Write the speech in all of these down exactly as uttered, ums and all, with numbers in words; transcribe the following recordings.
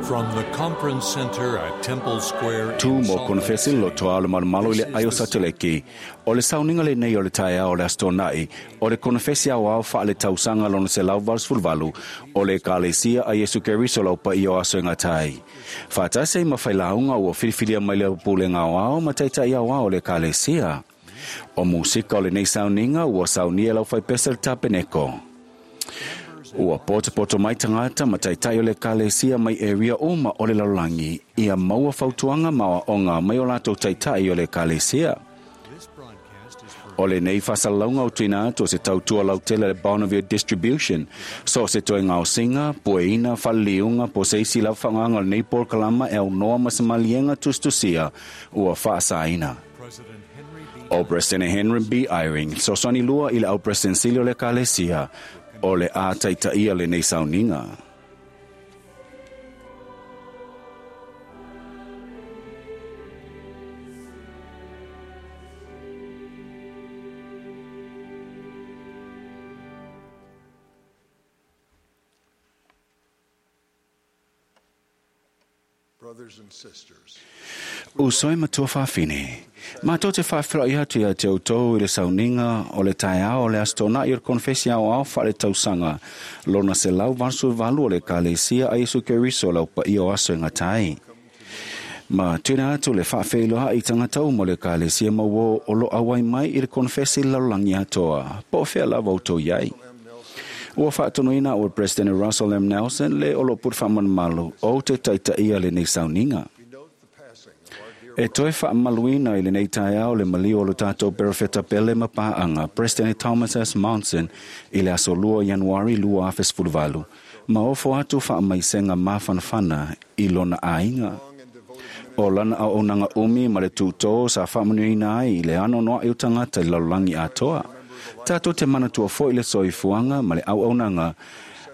From the conference center at Temple Square Tu in mo Salt Lake konofesi lo City. toa o le malomalo i le This ai o is the Satoleki. O le sauniga lenei o le taeao o le Aso Toonai, o le konofesi aoao faaletausaga lona selau valusefulu valu, o le Ekalesia a Iesu Keriso lau paia o aso e gata ai. Faatasi ai ma failauga ua filifilia mai le pulega aoao ma taitai aoao o le Ekalesia. O musika o lenei sauniga ua saunia e lau faipese le tapeneko. Ua potopoto mai tagata ma taitai o le Ekalesia mai area uma o le lalolagi, ia maua fautuaga ma aoaoga mai o latou taitai o le Ekalesia. O lenei faasalalauga o tuuina atu o se tautua lautele a le Bonneville Distribution, so o se toe gaosiga, pueina, faleliuga, po o se isi lava faaaogaga o lenei polokalama e aunoa ma se maliega tusitusia ua faasaina. O Peresetene Henry B. Eyring, fesoasoani lua i le au Peresetene Sili o le Ekalesia, o le a taitaia lenei sauniga. Brothers and sisters. Uso e matua faafine. Matou te faafeiloai atu ia te outou i le sauniga o le taeao o le Aso Toonai o le konofesi aoao faaletausaga lona selau valusefulu valu o le Ekalesia a Iesu Keriso lau paia o aso e gata ai. Ma tuuina atu le faafeiloai i tagata uma o le Ekalesia ma uo o lo auai mai i le konofesi i le lalolagi atoa, po o fea lava outou i ai. Ua faatonuina ua President Russell M. Nelson le o lo pule faamalumalu o te taitaia lenei sauniga. E toe faamaluina i lenei taeao le maliu o lo tatou perofeta pele ma paanga, President Thomas S. Monson, i le aso lua Ianuari lua afe sefulu valu, ma ofo atu faamaisega mafanafana i lona aiga. O lana auaunaga umi ma le tutō sa faamanuiaina ai i le anoanoai o tagata i le lalolagi atoa. Tatou te manatua foi le soifuaga ma le auaunaga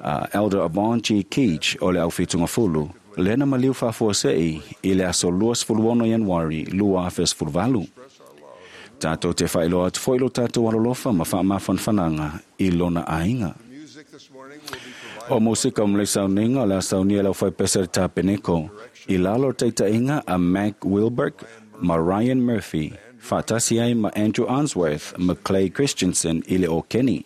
a Elder Avon G. Keach o le aufitugafulu, lena maliu faafuasei i le aso luasefulu ono Ianuari lua afe sefulu valu. Tatou te faailoa atu foi lo tatou alolofa ma faamafanafanaga i lona aiga. O musika o malei sauniga o le a saunia e le aufaipese le tapeneko i lalo o le taitaiga a Mac Wilberg ma Ryan Murphy, faatasi ai ma Andrew Unsworth ma Clay Christensen i le okeni.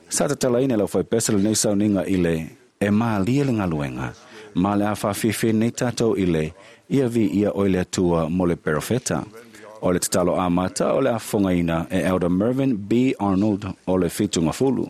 Sa tatalaina e le aufaipese lenei sauniga i le e malie le galuega, ma le a faafiafia nei tatou i le ia viia oe le Atua mo le perofeta. O le tatalo amata o le a fofogaina e Elder Mervyn B. Arnold o le Fitugafulu.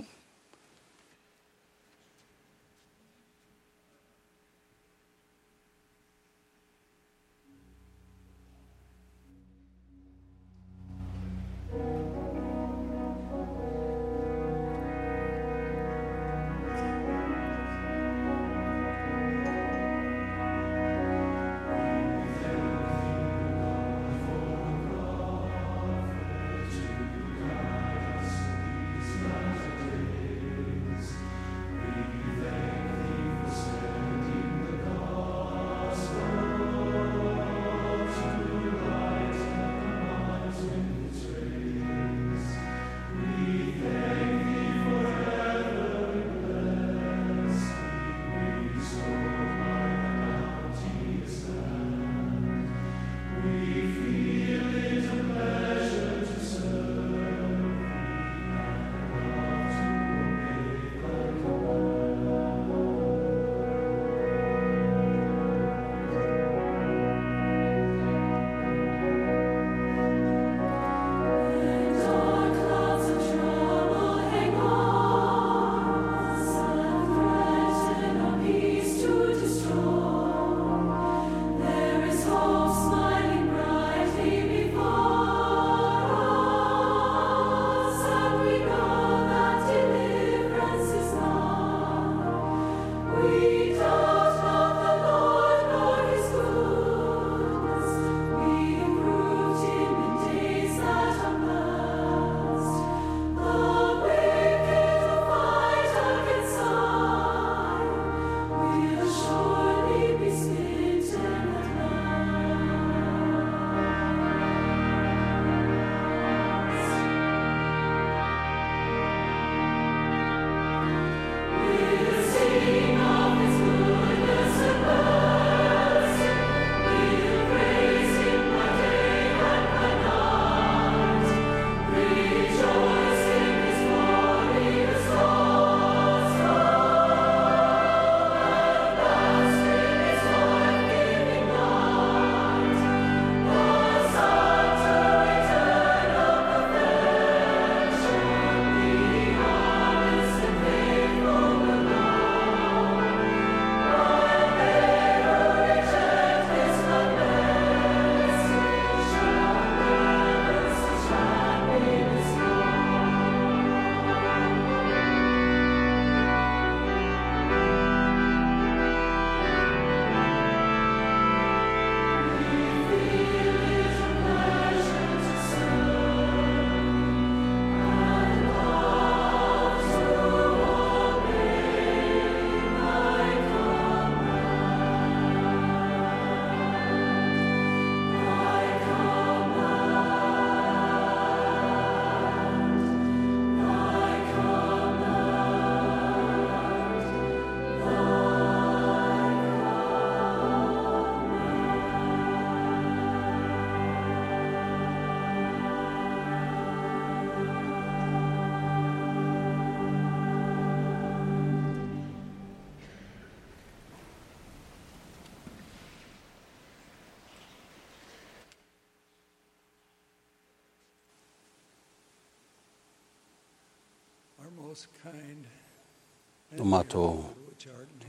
O mātou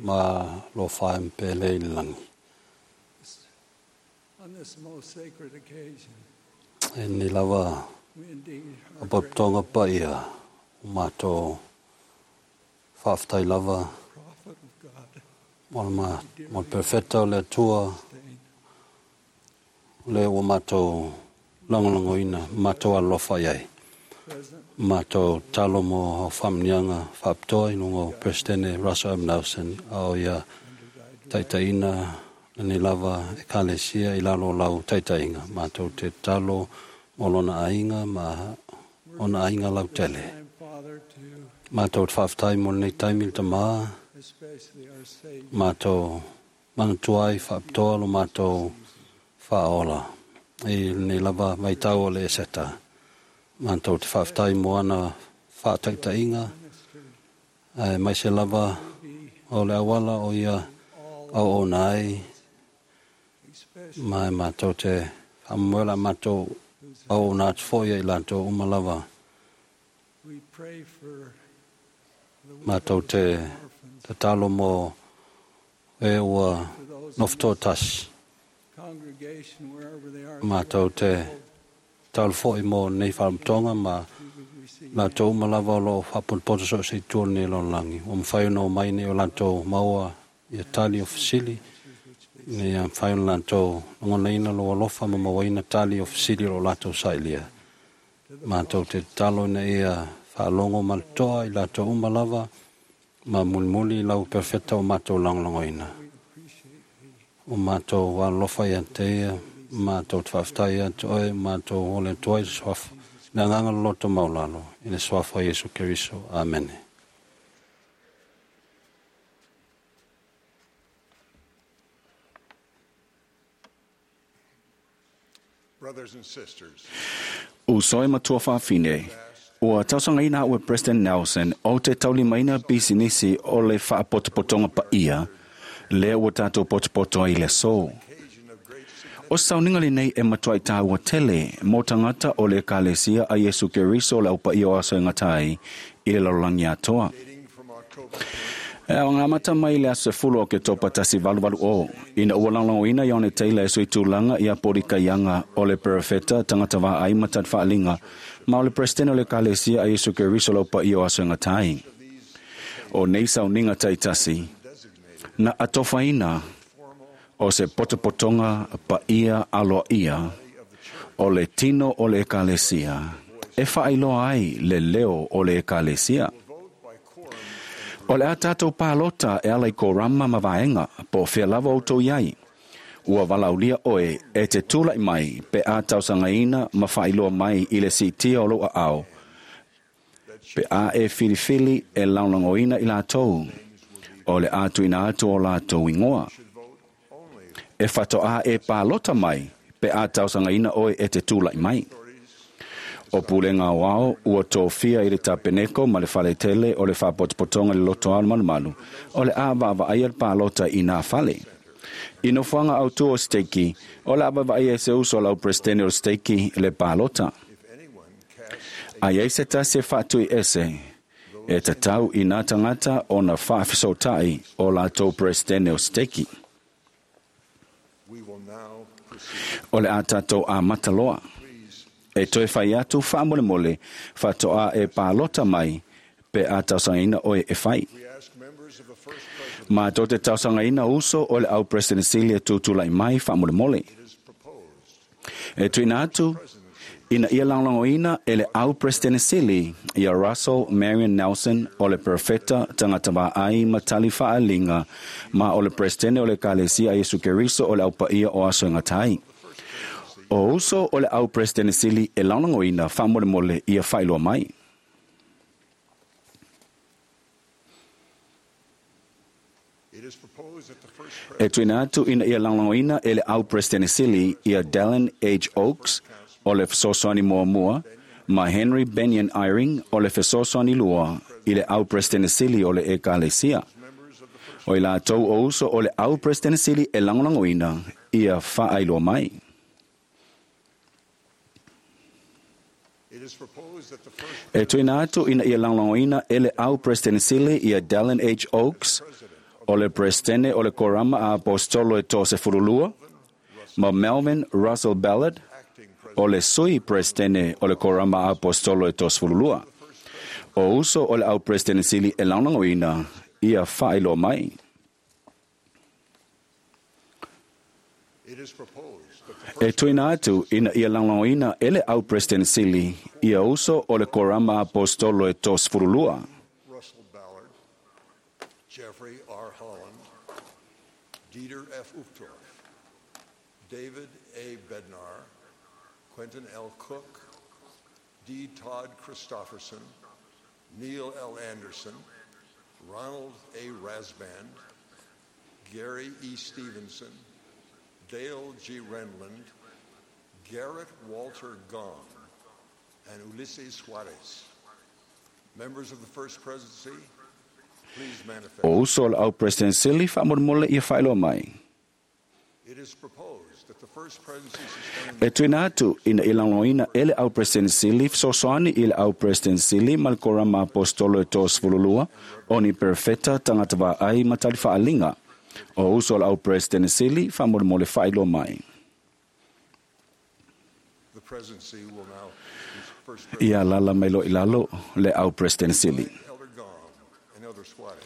ma lo whae mpele i langi. E ni lava a paputonga pa ia o mātou whaaftai lava mo ma mo perfecta o le Atua le o mātou lagolagoina mātou alofa i ai. Mātou talo mo au whamnianga whaaptoa i nungo Presidente Russell M. Nelson au ia taitaina ni lava e kalesia i lalo lau taitainga. Mātou te talo mo lona ainga ma ona ainga lau tele. Mātou te whaaftai mo nei taimi le tamā. Mātou manatuai whaaptoa lo mātou whaola. I nei lava vaitau o le eseta. Mātou te whaaftai mo ana whaataitainga. Ai mai se lava o le awala o ia au o nai. Mai mātou te whamuela mātou au o nā te foia i lātou umalava. Mātou te te talo mo e ua nofto tasi. Mātou te talo foi mo nei whaamtonga ma lātou umalava o lo whaponpoto so se tua nei lon langi. O mwhai no mai nei o lātou maua ia tali o fasili. Nei a mwhai o lātou ngonaina lo alofa ma mawaina tali o fasili o lātou sailia. Mātou te talo na ia whaalongo maltoa i lātou umalava ma mulimuli lau perfecta o mātou langolongoina. O mātou alofa ia te ia, mātou te whaaftai ia te oe, mātou ole toa i swafa. Nā nganga loto maulalo, i le swafa Yesu Keriso. Amene. Brothers and sisters. Uso e matua whaafine. Ua tausangaina ua President Nelson o te taulimaina bisinisi o le whaapotopotonga paia, le ua tātou potopoto i le sō. O sauninga le nei e matua i tāua tele mō tangata o le kalesia a Yesu Keriso le aupa i o aso e ngatai i le lalolagi atoa. E o ngā mata mai le aso fulo o ke topa tasi valu valu o. Ina ua langlangoina i one teila e sui tūlanga i a pori kaianga o le perefeta tangata vā ai matat whaalinga ma o le presidente o le kalesia a Yesu Keriso le aupa i o aso e ngatai. O nei sauninga taitasi na atofaina o se potopotonga paia aloa ia o le tino o le ekalesia e whaailoa ai le leo o le ekalesia. O le a tātou pālota e ala i ko rama ma vaenga po whia lava o tō iai. Ua valaulia oe e te tūlai mai pe a tausangaina ma whaailoa mai i le sitia o loa ao. Pe a e whiriwhiri e launangoina i lātou. O le atu ina atu o lātou ingoa. E whato a e pālota mai pe a tausangaina oe e te tūlai mai. O pulenga o ao, ua tōfia i le tapeneko ma le whaletele o le whapotopotonga le loto ao malumalu, o le a vaava ai al pālota i nā whale. I no whanga au tō o steki, o le a vaava ai e se uso lau presidente o steki le pālota. Ai ei se tasi e whaatui ese, e tatau i nā tangata o na whaafisautai o la tō presidente o steki. O le a tātou a mataloa. E toe whai atu whaamolemole, whatoa e pālota mai, pe a tausangaina oe e whai. Mā tō te tausangaina uso o le au President Celia tūtulai mai whaamolemole. E tuina atu, ina ia langlangoina e le au President Celia ia Russell Marion Nelson o le perfecta tangata ai matali whaalinga ma o le President o le Kalesia Yesu Keriso o le au paia o aso e ngatai. O uso o le au President Sili e launangoina whaamolemole ia whailoa mai. E tuina atu ina ia launangoina e le au President Sili ia Dallin H. Oaks o le fesoasoani muamua ma Henry Benyon Eyring o le fesoasoani lua i le au President Sili o le ekalesia. O i lātou o uso o le au President Sili e launangoina ia whaailoa mai. E tuina atu ina ia lagolagoina e le au Peresetene ia Dallin H. Oaks, o le Peresetene o le Korama a Aposetolo e Toasefululua, ma Melvin Russell Ballard, o le Sui Peresetene o le Korama a Aposetolo e Toasefululua. O uso o le au Peresetene Sili e lagolagoina ia faailoa mai. E tuina atu ina ia lagolagoina e le au Peresetene Sili ia uso o le Korama Aposetolo e Toasefululua. Russell Ballard, Jeffrey R. Holland, Dieter F. Uchtdorf, David A. Bednar, Quentin L. Cook, D. Todd Christofferson, Neil L. Anderson, Ronald A. Rasband, Gary E. Stevenson, Dale G. Renlund, Garrett Walter Gong, and Ulises Suarez. Members of the First Presidency, please manifest. O uso o le au President Sili faamolemole ia faailoa mai. It is proposed that the First Presidency sustain E tuina atu ina ia lagolagoina e le au President Sili fesoasoani i le au President Sili ma le Korama Aposetolo e Toasefululua o ni perofeta tagata vaai ma tali faaliga. O uso o le au President Sili faamolemole faailoa mai. the presidency will now first Ia lala mai lo i lalo le au President Sili. Elder Gong and Elder Suarez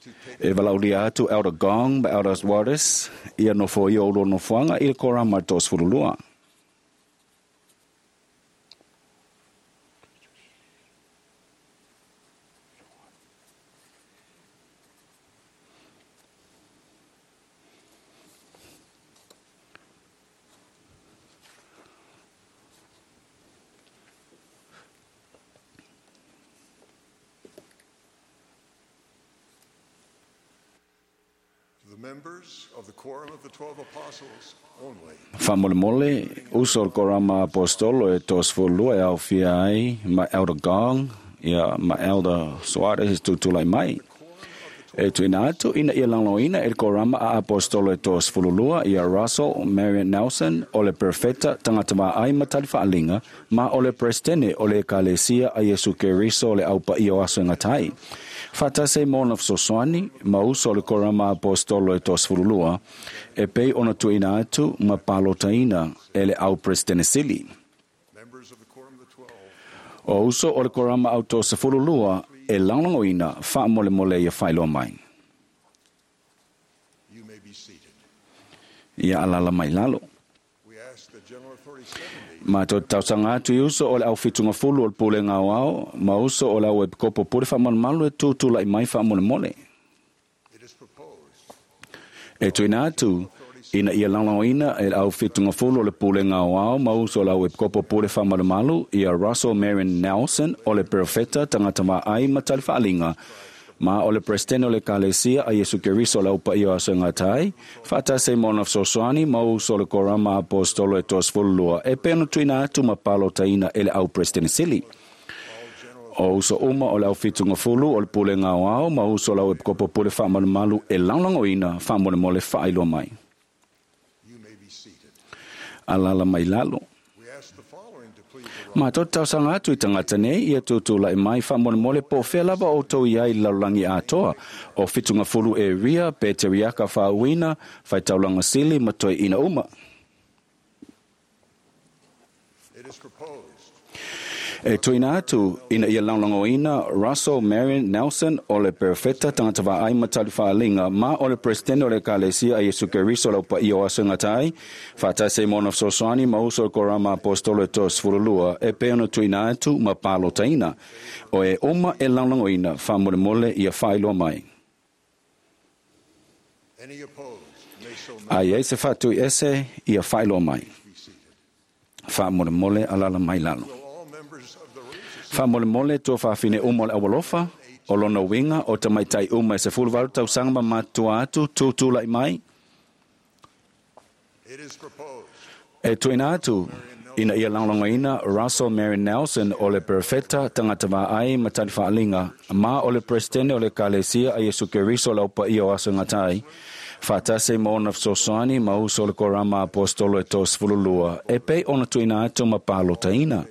to take E valaulia atu Elder Gong ma Elder Suarez ia nofo ia o lua nofoaga i le Korama Toasefululua. the members of the Quorum of the Twelve Apostles only. Faamolemole uso o le Korama Aposetolo e Toasefululua e aofia ai ma Elder Gong ia ma Elder Suarez tutulai mai. E tuina atu ina ia lagolagoina e le Korama a Aposetolo e Toasefululua ia Russell Marion Nelson o le Perofeta tagata vaai ma tali faaliga ma o le Peresetene o le Ekalesia a Iesu Keriso o le aupaia o aso e gatai. Faatasi mo ona fesoasoani ma uso o le Korama Aposetolo e Toasefululua e pei ona tuuina atu ma palotaina e le au Peresetene Sili. Members of the Quorum of the Twelve, O uso o le Korama au Toasefululua e lagolagoina faamolemole ia faailoa mai. you may be seated. Ia alala mai lalo. We ask the General Authority seventy Ma to tausaga atu i uso o le au fitugafulu o le pulega aoao ma uso o le au epikopo pule faamalumalu e tutulai mai faamolemole. It is proposed E tuina atu ina ia lagolagoina e le au fitugafulu o le pulega aoao ma uso o le au epikopo pule faamalumalu ia Russell Marion Nelson o le Perofeta tagata vaai ma tali faaliga ma o le Peresetene o le Ekalesia a Iesu Keriso o le aupaia o aso e gatai, faatasi mo ona fesoasoani ma uso o le Korama Aposetolo e Toasefululua e pei ona tuuina atu ma palotaina e le au Peresetene Sili. O uso uma o le au fitugafulu o le pulega aoao ma uso o le au epikopo pule faamalumalu e lagolagoina faamolemole faailoa mai. you may be seated. Alala mai lalo. We ask the following to please arise. Ma to tausaga atu i tagata nei ia tutulai mai faamolemole po o fea lava outou i ai i le lalolagi atoa o fitugafulu e ria pe te riaka faauina faitaulaga sili ma toeaina uma. It is proposed E tuina atu ina ia lagolagoina Russell Marion Nelson o le Perofeta tagata vaai ma tali faaliga ma o le Peresetene o le Ekalesia a Iesu Keriso o le aupaia o aso e gatai, faatasi ai mo ona fesoasoani ma uso o le Korama Aposetolo e Toasefululua e pei ona tuuina atu ma palotaina. O e uma e lagolagoina faamolemole ia faailoa mai. any opposed may so A i ai se faatui ese ia faailoa mai. be seated. Faamolemole alala mai lalo. Will all members of the Religious Faamolemole tua faafine uma o le aualofa, o lona uiga o tamaitai uma e sefuluvalu tausaga ma matua atu tutulai mai. It is proposed E tuina atu ina ia lagolagoina Russell Marion Nelson o le Perofeta tagata vaai ma tali faaliga ma o le Peresetene o le Ekalesia a Iesu Keriso o le aupaia o aso e gatai, faatasi mo ona fesoasoani ma uso o le Korama Aposetolo e Toasefululua e pei ona tuuina atu ma palotaina.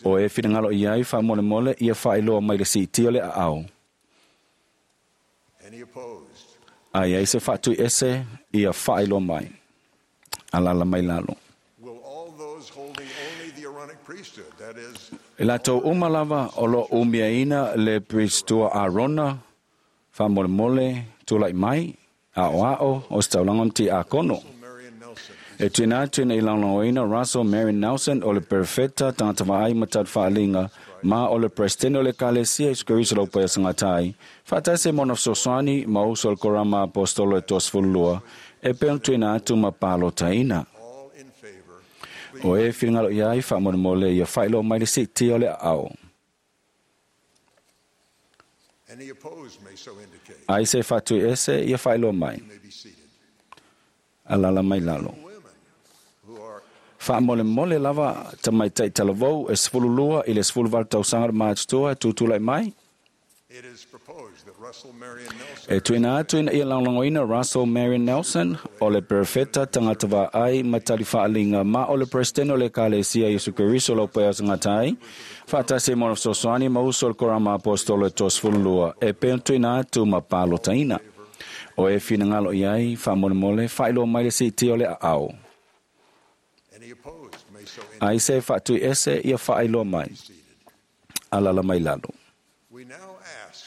O e finagalo i ai faamolemole ia faailoa mai le siitia o le aao. Any opposed? A i ai se faatuiese ia faailoa mai. Alala mai lalo. Will all those holding only the Aaronic priesthood, that is, E latou uma lava o lo umiaina le pristua Arona, faamolemole tulai mai, aoao o se taulaga ma tiakono. Marion Nelson, E tuina atu ina i laolauina Russell Marion Nelson o le perfeta tagata vaai ma tatufaaliga ma o le presidente o le Ekalesia Iesu Keriso lau paia sagatai faatasi mo ona fesoasoani ma uso o le korama apostolo e toasefululua e pei ona tuuina atu ma palotaina. all in favor, O e finagalo i ai faamolemole ia faailoa mai le siitia o le aao. Any opposed may so indicate. Ai se faatuiese ia faailoa mai. You may be seated. Alala mai lalo. Women who are Faamolemole lava tamaitai talavou e sefululua i le sefuluvalu tausaga le matutua e tutulai mai. It is proposed that Russell Marion Nelson E tuuina atu ina ia lagolagoina Russell Marion Nelson o le perfeta tagata vaai ma talifaaliga ma o le presidente o le Ekalesia Iesu Keriso lau paia sagatai faatasi mo ona fesoasoani ma uso o le korama apostolo e toasefululua e pei ona tuuina atu ma palotaina. O e finagalo i ai faamolemole faailoa mai le siitia o le aao. Any opposed may so indicate. Ai se faatuiese ia faailoa mai. Alala mai lalo. We now ask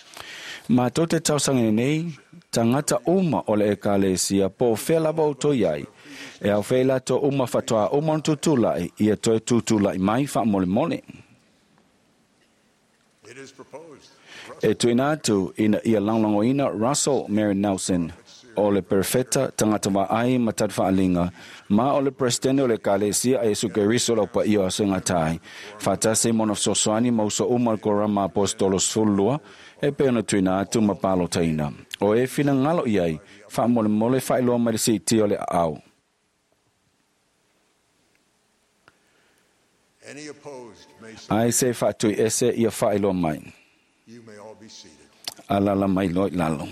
Matou te tausaga nei, tagata uma o le ekalesia po o fea lava outou i ai. E au fea i latou uma faatoa uma ona tutulai, ia toe tutulai mai faamolemole. It is proposed E tuuina atu ina ia lagolagoina Russell Mary Nelson o le perfeta tagata vaai ma tatufaaliga ma o le presidente o le Ekalesia a Iesu Keriso lau paia o aso e gatai. Faatasi mo ona fesoasoani ma uso uma o le korama apostolo sefululua e pei ona tuuina atu ma palotaina. O e finagalo i ai faamolemole faailoa mai le siitia o le aao. Any opposed may so Ai se faatuiese ia faailoa mai. You may all be seated. Alala mai loa i lalo.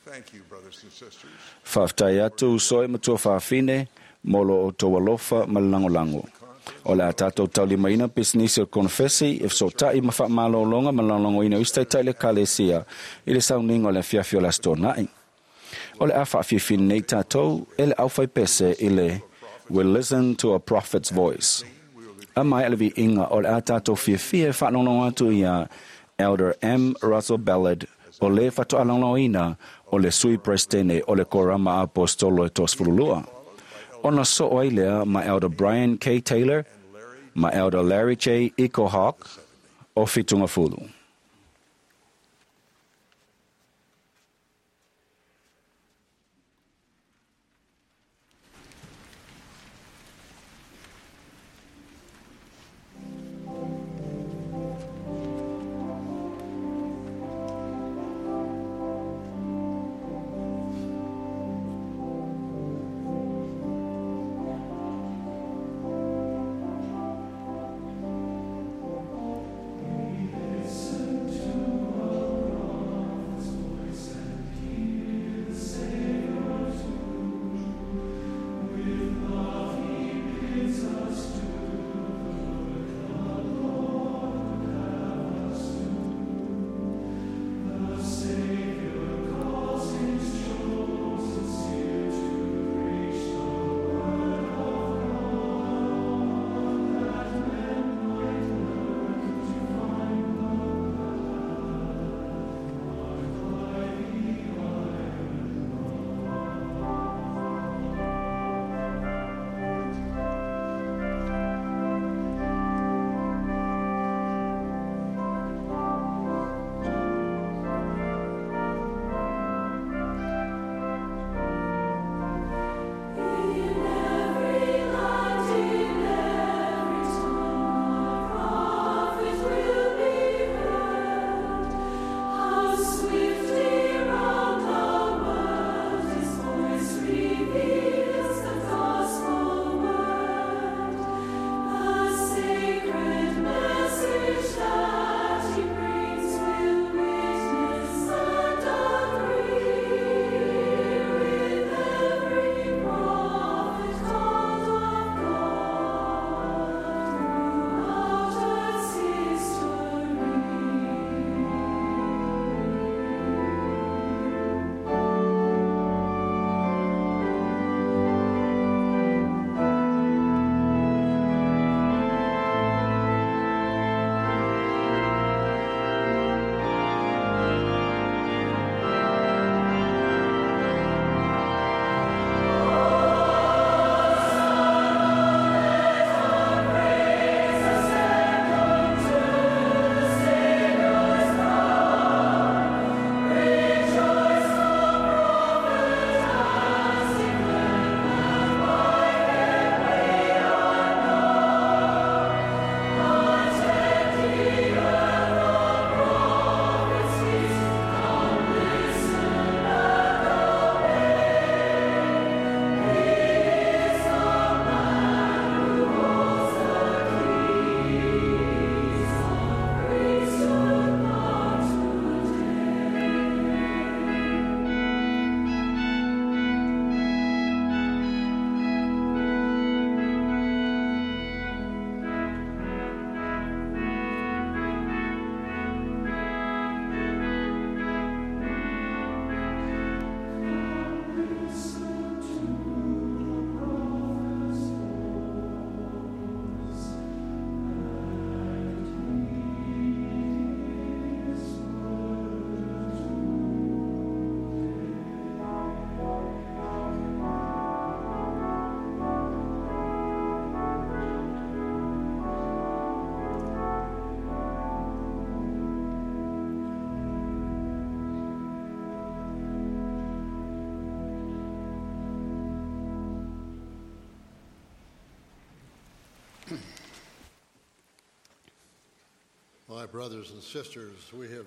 Thank you, brothers and sisters. Faafetai atu uso e matua faafine mo lo outou alofa ma le lagolago. O le a tatou taulimaina pisinisi o le konofesi e feso'ota'i ma fa'amalōloga ma lagolagoina o isi taitai le ekalesia i le sauniga o le afiafi o le aso tona'i. O le a fa'afiafia nei tatou e le aufaipese i le We Listen to a Prophet's Voice. A mai a le viiga o le a tatou fiafia e fa'alogologo atu ia Elder M. Russell Ballard o le fa'ato'alagolagoina o le sui presidente o le korama apostolo e toasefululua. Ona so'o ai lea ma Elder Brian K. Taylor ma Elder Larry J. Ecohawk o Fitungafulu. Listen.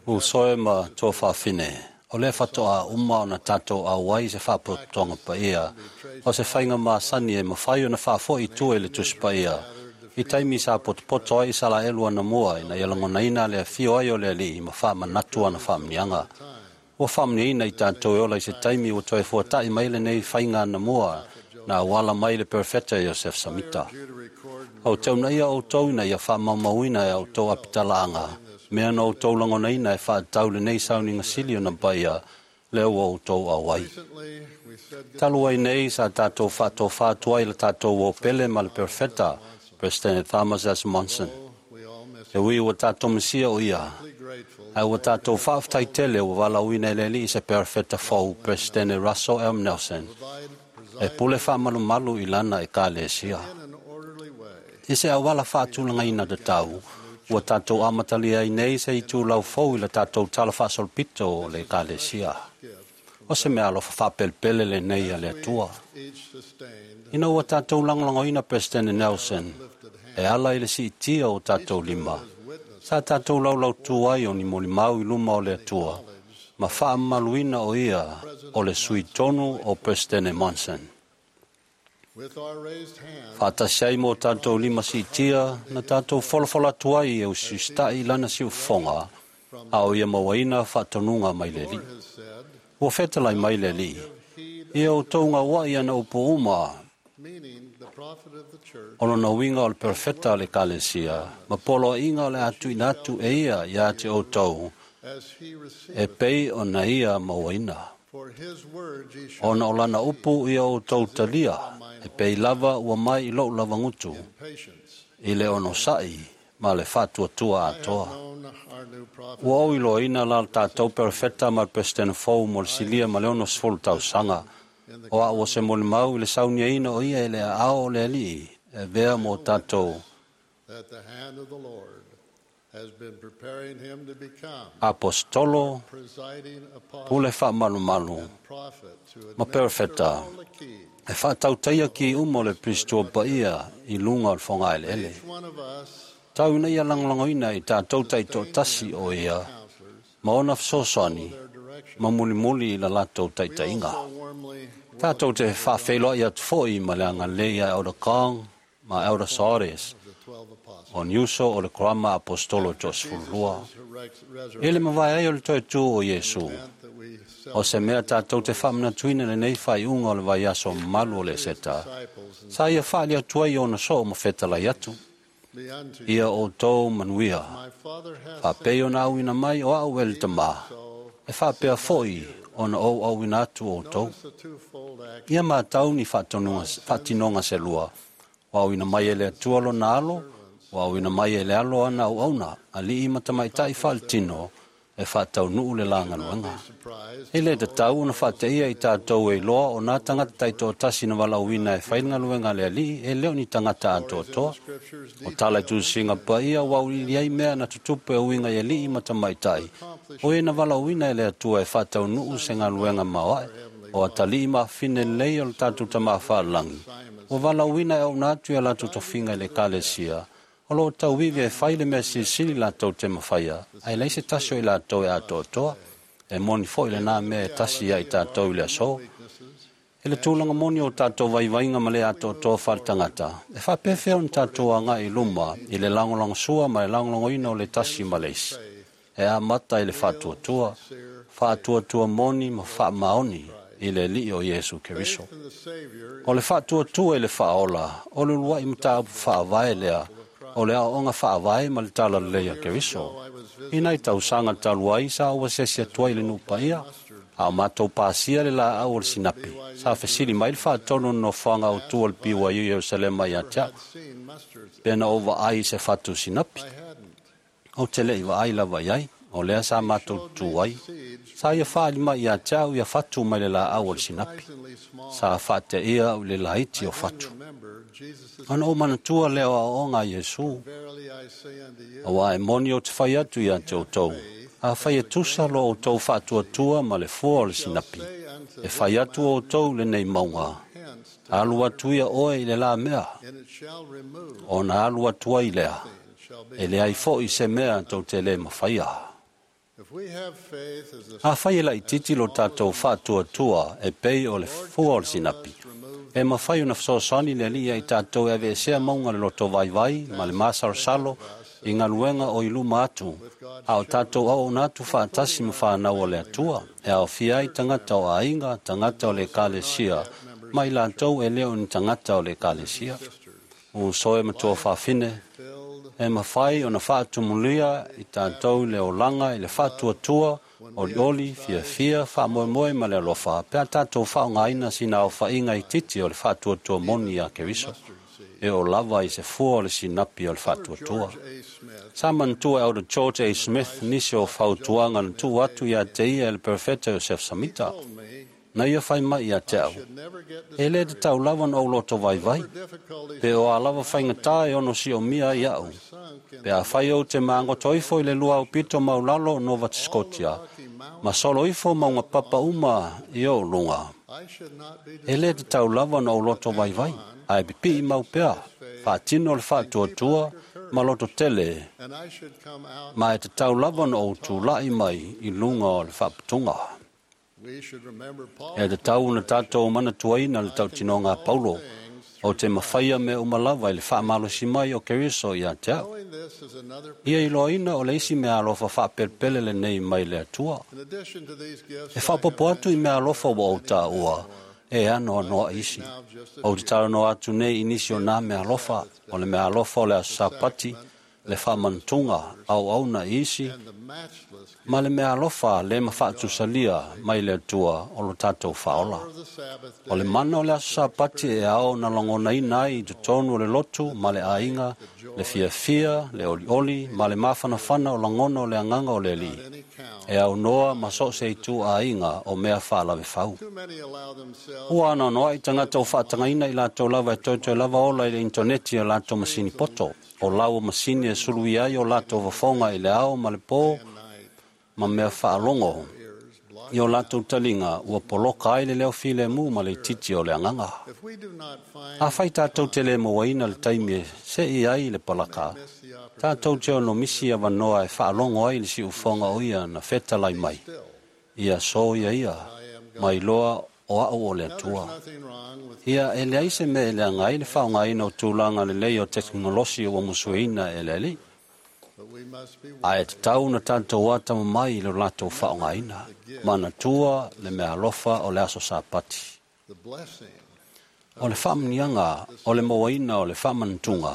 Uso e ma tuafafine, o le fatoa uma o na tātou auai se whaapotoga paia, o se whainga maasani e mawhai o na whaafo i tua i le tusi paia. I taimi sa potopoto ai sa la elua na mua ina ia langonaina le afio ai o le alii ma whaamanatu ana whaamnianga. Ua whaamniaina i tātou e ola i se taimi ua toe fuata'i mai lenei whainga na mua na awala mai le perfeta Joseph Samita. O teuna ia o tau ina ia whaamaumauina e au tau apitalaanga, mea na o tau langonaina e whaatau lenei sauninga sili o na paia le ua o tau awai. Talu ai nei sa tātou whaato whaatua i le tātou o pele ma le perfeta, President Thomas S. Monson. E ui ua tātou masia o ia, ai ua tātou whaaftai tele ua walauina e le alii se perfeta fou, President Russell M. Nelson. E pule whaamalumalu i lana e ka lesia. I se awala whaatulanga ina te tau, ua tātou amatalia i nei se i tūlau fou i la tātou tala whaasolopito o le ka lesia. O se mea alofa whaapelpele le nei a le atua. Ina ua tātou langolangoina President Nelson, e ala i le siitia o tātou lima. Sa tātou laulau tuai o ni molimau i luma o le atua, ma whaamaluina o ia o le sui tonu o President Monson. Whaatasi ai mō tātou lima siitia, na tātou folafola atu ai e usista'i lana si ufonga, a o ia mawaina whaatonunga mai le alii. Ua whetalai mai le alii. Ia o taunga wai ana upo uma, o lona uiga o le perfeta o le kalesia, ma polo inga o le atu ina atu e ia ia te o tau, e pei o na ia mawaina. Ona o lana upu ia o tau talia, e pei lava ua mai i lou lava ngutu, i le ono sa'i ma le whatuatua atoa. Ua o iloina la tātou perfeta ma le President fou mo le silia ma le ono sefulu tausaga, o a ua se molimau i le sauniaina o ia e le aao o le alii, e vea mo tātou apostolo, pule whaamalumalu, ma perfeta, e whaatautaia ki uma o le Kristo paia i lunga o le whangaeleele. Tau ina ia langolangoina i tātou taitoatasi o ia, ma ona fesoasoani, ma mulimuli i la latou taitaiga. Tātou te whaawheloa i atu foi ma le agalelei ia Elder Kong ma Elder Soares, o niuso o le Kurama Apostolo toasefululua. E le mavae ai o le toe tū o Iesu, o se mea tātou te whaamanatuina lenei whaiunga o le vaiaso mamalu o le seta, sa ia whaali atu ai ona soo ma whetalai atu. Ia o tō manuia, whaapei ona auina mai o au e le tamā, e whaapea foi ona ou auina atu o tō. Ia mātau ni whaatinonga se lua, o auina mai e le atua lona alo, o auina mai e le alo ana au auna, alii matamaitai whaalitino, e whaatau nuu le langaluenga. E le tatau ona whaateia i tātou e loa o nā tangata taitoatasi na walauina e whaingaluenga le alii e leo ni tangata atoatoa. O tala i tusinga paia wau i ai mea na tutupe o uinga i alii matamaitai. O e na walauina e le atua e whaatau nuu se ngaluenga maoae, o atalii maafine lei o le tātou tamawhaalangi. O walauina e au nātu ia lātou tofinga i le kalesia, o lo tauivi e whai le mea silisili lātou te mawhaia, ai lei se tasi o i lātou e atoatoa, e moni foi le nā mea e tasi ia i tātou i le aso. E le tūlanga moni o tātou vaivainga ma le atoatoa whaletangata, e whaapewhea o tātou anga i luma i le langolango sua ma le langolangoina o le tasi ma le isi. E a mata i le whaatuatua, whaatuatua moni ma whaamaoni i le alii o Iesu Keriso. O le whaatuatua i le whaola, o le luai mataupu whaavae lea, o le aoga faavae ma le tala lelei a Keriso. Ina i tausaga talu ai sa ua sesi atu ai le nuu paia, a o matou pasia le laau o le sinapi. Sa fesili mai le faatonu nofoaga autu o le B Y U Ierusalema ia te a'u, pe na ou vaai i se fatu sinapi. Ou te le'i vaai lava i ai, o lea sa matou tutū ai. Sa ia faaali mai ia te a'u ia fatu mai le laau o le sinapi. Sa faateia a'u i le laiti o fatu. Ona ou manatua lea o aoaoga a Iesu, auā e moni ou te fai atu ia te outou. A fai e tusa lo outou faatuatua ma le fua o le sinapi, e fai atu outou lenei mauga, alu atu ia oe i le la mea, ona alu atu ai lea. E leai fo'i se mea tou te lē mafaia. Afai e laʻitiiti lo tatou faatuatua e pei o le fua o le sinapi, e mafai ona fesoasoani le Alii ia i tatou e aveesea mauga le loto vaivai ma le masalosalo i galuega o i luma atu, a o tatou auauna atu faatasi ma fanau o le Atua, e aofia ai tagata o aiga, tagata o le Ekalesia, ma i latou e le o ni tagata o le Ekalesia. Uso e ma tuafafine, e mafai ona faatumulia i tatou le olaga i le faatuatua, olioli, fiafia, faamoemoe ma le alofa, pe a tatou faaaogaina sina aofaiga itiiti o le faatuatua moni ia Keriso, e oo lava i se fua o le sinapi o le faatuatua. Sa manatua e Elder George A. Smith nisi o fautuaga na tuu atu ia te ia e le Perofeta Iosefo Samita. Na ia fai mai ia te au, e lē tatau lava ona ou loto vaivai, pe o a lava faigata e ono siomia ai a'u, pe afai ou te magoto ifo i le lua aupito maulalo o Nova Scotia, ma solo ifo mauga papa uma i ou luga. E lē tatau lava ona ou loto vaivai, ae pipii mau pea, faatino le faatuatua ma loto tele, ma e tatau lava ona ou tula'i mai i luga o le faaputuga. E tatau ona tatou manatuaina le tautinoga a Paulo, o te mafaia mea uma lava i le faamalosi mai o Keriso ia te au. Ia iloaina o le isi mea alofa faapelepele lenei mai le Atua. E faaopoopo atu i mea alofa ua ou taua, e anoanoa'i isi. Ou te talanoa atu nei i nisi o nā mea alofa, o le mea alofa o le aso Sapati, le faamanatuga, auauna i isi, ma le mea alofa le mafaatusalia mai le Atua o lo tatou faaola. O le mana o le aso Sapati e ao ona lagonaina ai i totonu o le lotu ma le aiga, le fiafia, le olioli, ma le mafanafana o lagona o le agaga o le Alii, e aunoa ma so o se itu aiga o mea faalavefau. Ua anoanoa'i tagata o faatagaina i latou lava e toetoe lava ola i le initoneti o latou masini poto, o lau o masini e suluia ai o latou fofoga i le ao ma le pō ma mea faalogo i o latou taliga ua poloka ai le leo filemu ma le itiiti o le agaga. Afai tatou te lē mauaina le taimi e se'i ai le palaka, tatou te ono misi avanoa e faalogo ai le siufofoga o ia na fetalai mai, ia soia ia, mai loa o a'u o le Atua. Ia e leai se mea e leaga ai le faaaogaina o tulaga lelei o tekonolosi ua musueina e le Alii, ae tatau ona tatou atamamai i lo latou faaaogaina. Manatua le mea alofa o le aso Sapati. O le faamuniaga o le mauaina o le faamanatuga,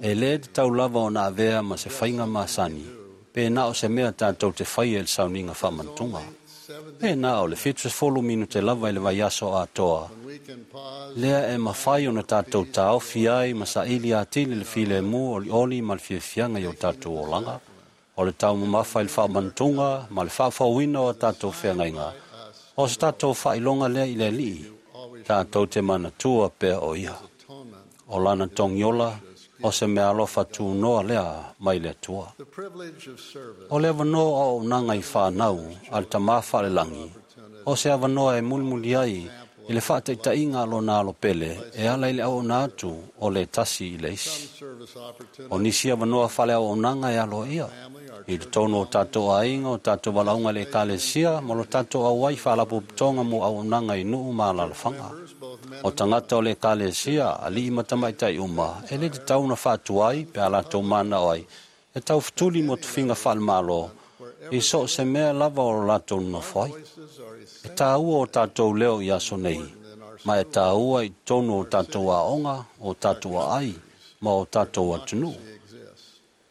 e lē tatau lava ona avea ma se faiga masani, pe na o se mea tatou te faia i le sauniga faamanatuga. E na o le fitusefulu minute lava i le vaiaso atoa, lea e mafai ona tatou taofi ai ma saili atili le filemu olioli ma le fiafiaga i o tatou olaga. O le taumamafa i le faamanatuga ma le faafouina o a tatou feagaiga, o se tatou faailoga lea i le Alii, tatou te manatua pea o ia. O lana togiola, o se mea alofa tunoa lea mai le Atua. O le avanoa o auaunaga i fanau a le Tamā Faalelagi, o se avanoa e mulimuli ai i le faataitaiga a lona alopele e ala i le auauna atu o le tasi i le isi. O nisi avanoa faaleauaunaga e aloaia, i totonu o tatou aiga, o tatou valaauga i le Ekalesia, ma lo tatou auai faalapotopotoga mo auaunaga i nuu ma alaalafaga. O tagata o le Ekalesia, alii ma tamaitai uma, e lē tatau ona faatuai pe a latou manao ai, e taufetuli mo tofiga faalemalo, i so o se mea lava o lo latou nonofo ai. E tāua o tatou leo i aso nei, ma e tāua i totonu o tatou aoga, o tatou aai, ma o tatou atunuu.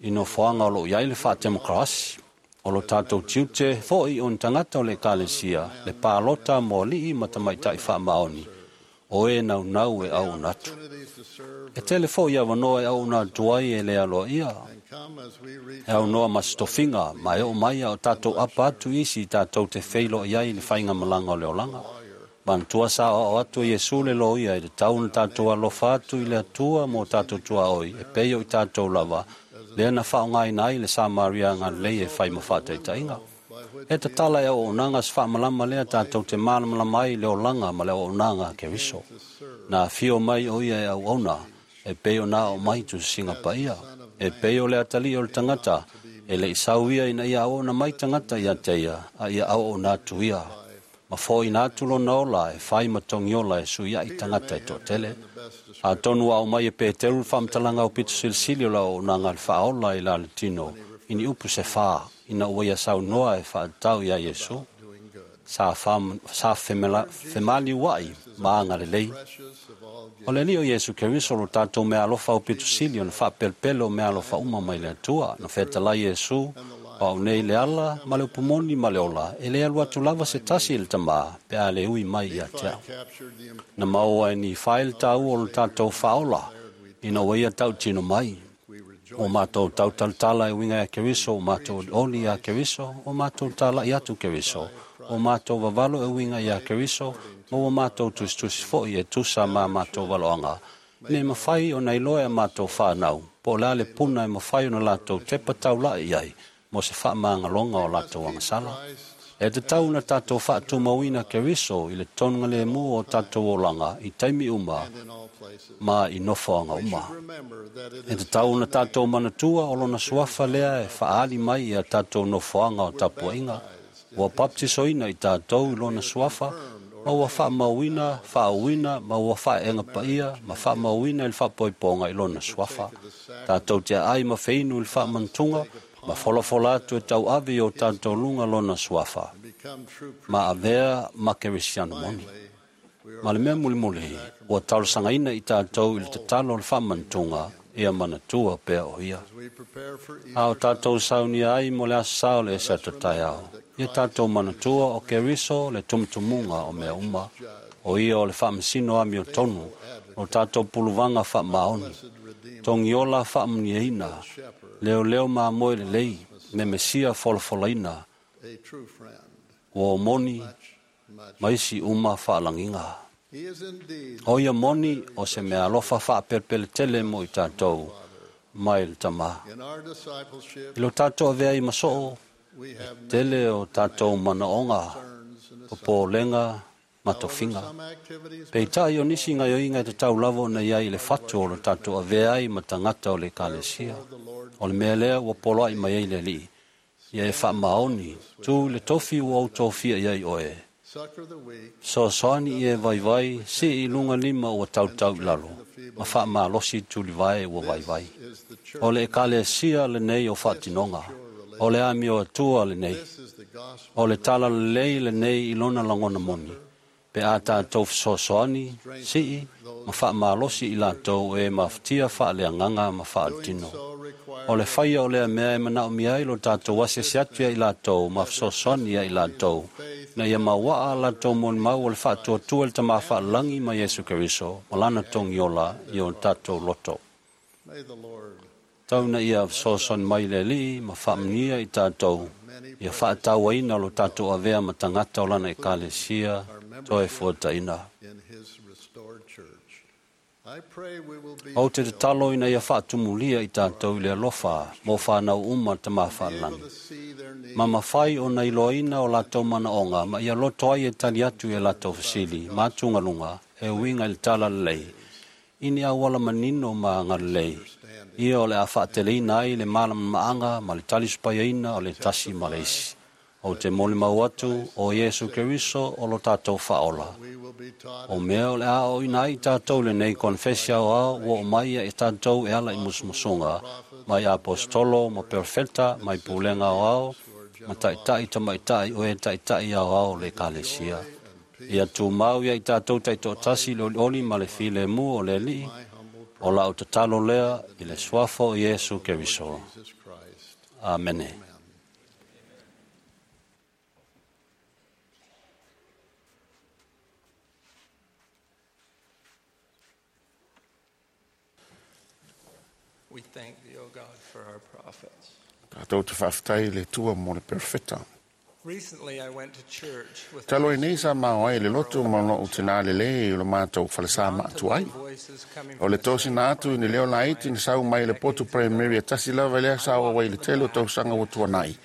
I nofoaga o loo i ai le faatemokarasi, o lo tatou tiute fo'i o ni tagata o le Ekalesia, le palota mo alii ma tamaitai faamaoni, o e naunau e auauna atu. E tele fo'i avanoa e auauna atu ai e le aloaia, e aunoa ma se tofiga, ma e oo mai a o tatou apa atu isi i tatou te feiloai ai i le faigamalaga o le olaga. Manatua sa aoao atu e Iesu le loia e tatau ona tatou alofa atu i le Atua mo tatou tuaoi, e pei o i tatou lava, lea na faaaogaina ai le Samaria agalelei e fai ma faataitaiga. E tatala e auaunaga se faamalama lea tatou te malamalama ai i le olaga ma le auaunaga a Keriso. Na afio mai o ia e auauna, e pei ona ao mai tusisiga paia. E pei o le atalii o le tagata, e le i sau ia ina ia auauna mai tagata ia te ia, a ia auauna atu ia. Ma foʻina atu lona ola e fai ma togiola e suiaʻi tagata e toʻatele. Atonu ua aumai e Peteru le faamatalaga aupito silisili o le auaunaga a le faaola i la le tino, i ni upu se fā, ina ua ia saunoa e faatatau iā Iesu. Sa, sa femaliuaʻi ma agalelei. O le Alii o Iesu Keriso lo tatou meaalofa aupito sili ona faapelepele o meaalofa uma mai le Atua. Na fetalai Iesu, o au nei le ala ma le upumoni ma le ola, e le alu atu lava se tasi i le tamā, pe a le ui mai ia te au. Na maua e Nifai le tāua o le tatou faaola, ina ua ia tautino mai. O mātou tautalatala e uiga ia Keriso, o mātou oli ia Keriso, o mātou talaʻi atu Keriso, o mātou vavalo e uiga ia Keriso, ma ua mātou tusitusi foʻi e tusa ma mātou valoaga. Ne mafai ona iloa e mātou whānau, po o le a le puna e mafai ona latou tepa taulaʻi i ai, mo se faamagaloga o latou agasala. E tatau na tatou faatumauina Keriso i le tonuga lemu o tatou olaga i taimi uma ma i nofoaga uma. E tatau na tatou manatua o lona suafa lea e faaali mai ia tatou nofoaga o tapuaiga. Ua baptisoina i tatou i lona suafa, ma ua faamauina, faauina, ma ua faaeega paia, ma faamauina i le faapoipoga i lona suafa. Tatou te aai ma feinu i le faamanatuga, ma folafola atu e tauave i o tatou luga lona suafa. Ma avea ma Kerisiano moni. Ma le mea mulimuli, ua talosagaina i tatou i le tatalo o le faamanatuga, ia manatua pea o ia. A o tatou saunia ai mo le aso sa o le ese atu taeao. Ia tatou manatua o Keriso le tumutumuga o mea uma. O ia o le faamasino amiotonu, o tatou puluvaga faamaoni. Togiola faamuniaina, leoleo mamoe lelei, me mesia folafolaina, ua o moni, ma isi uma faalagiga. O ia moni o se mea alofa faapelepele mo i tatou mai le tamā. I lo tatou avea i masoo, e tele o tatou manaoga, popolega, ma tofiga. Peitai o nisi gaoioiga e tatau lava ona iai i le fatu o lo tatou avea ai ma tagata o le Ekalesia. O le mea lea ua poloaʻi mai ai le Alii, ia e faamaoni, tu i le tofi ua ou tofia i ai oe. Soasoani i e vaivai, sii i luga lima ua tautau i lalo, ma faamalosi tulivae ua vaivai. O le Ekalesia lenei o faatinoga, o le amio atua lenei, o le tala lelei lenei i lona lagona moni, pe a tatou fesoasoani, sii, ma faamalosi i latou e mafatia faaleagaga ma faaletino. O le faia o lea mea e manaomia ai lo tatou asiasi atu ia i latou ma fesoasoani ia i latou, na ia mauaa latou molimau o le faatuatua i le Tamā faalelagi ma Iesu Keriso, ma lana togiola i o tatou loto. Tau na ia fesoasoani mai le Alii ma faamanuia i tatou, ia faatauaina lo tatou avea ma tagata o lana Ekalesia toe fuataina. Ou te tatalo ina ia faatumulia i tatou i le alofa mo whānau uma tamā faalelagi. Ma mafai ona iloaina o latou manaoga ma ia loto ai e tali atu i latou fesili ma atugaluga e uiga i le tala lelei. I ni auala manino ma agalelei, ia o le a faateleina ai le malamalamaga ma le talisupaiaina o le tasi ma le isi. O te molimau atu o Iesu Keriso o lo tatou faaola. O mea o le a oina ai tatou lenei konfesi aoao ua o mai ia i tatou e ala i musumusuga, mai apostolo ma perfeta, mai pulega aoao, ma taitai tamaitai o e taitai aoao le Ekalesia. Ia tumau ia i tatou taitoatasi le olioli ma le filemu o le Alii, o lau tatalo lea i le suafa o Iesu Keriso. Amene. We thank thee, O God, for our prophets. Tatou te faafetai i le Atua mo le perfeta. Recently, I went to church with Talu ai nei sa mao ai le loto ma lou tinā lelei o le matou falesa maatua ai. O le tosina atu i ni leo laiti na sau mai le potu primary e tasi lava lea sa o ai le tele o tausaga ua tuanai.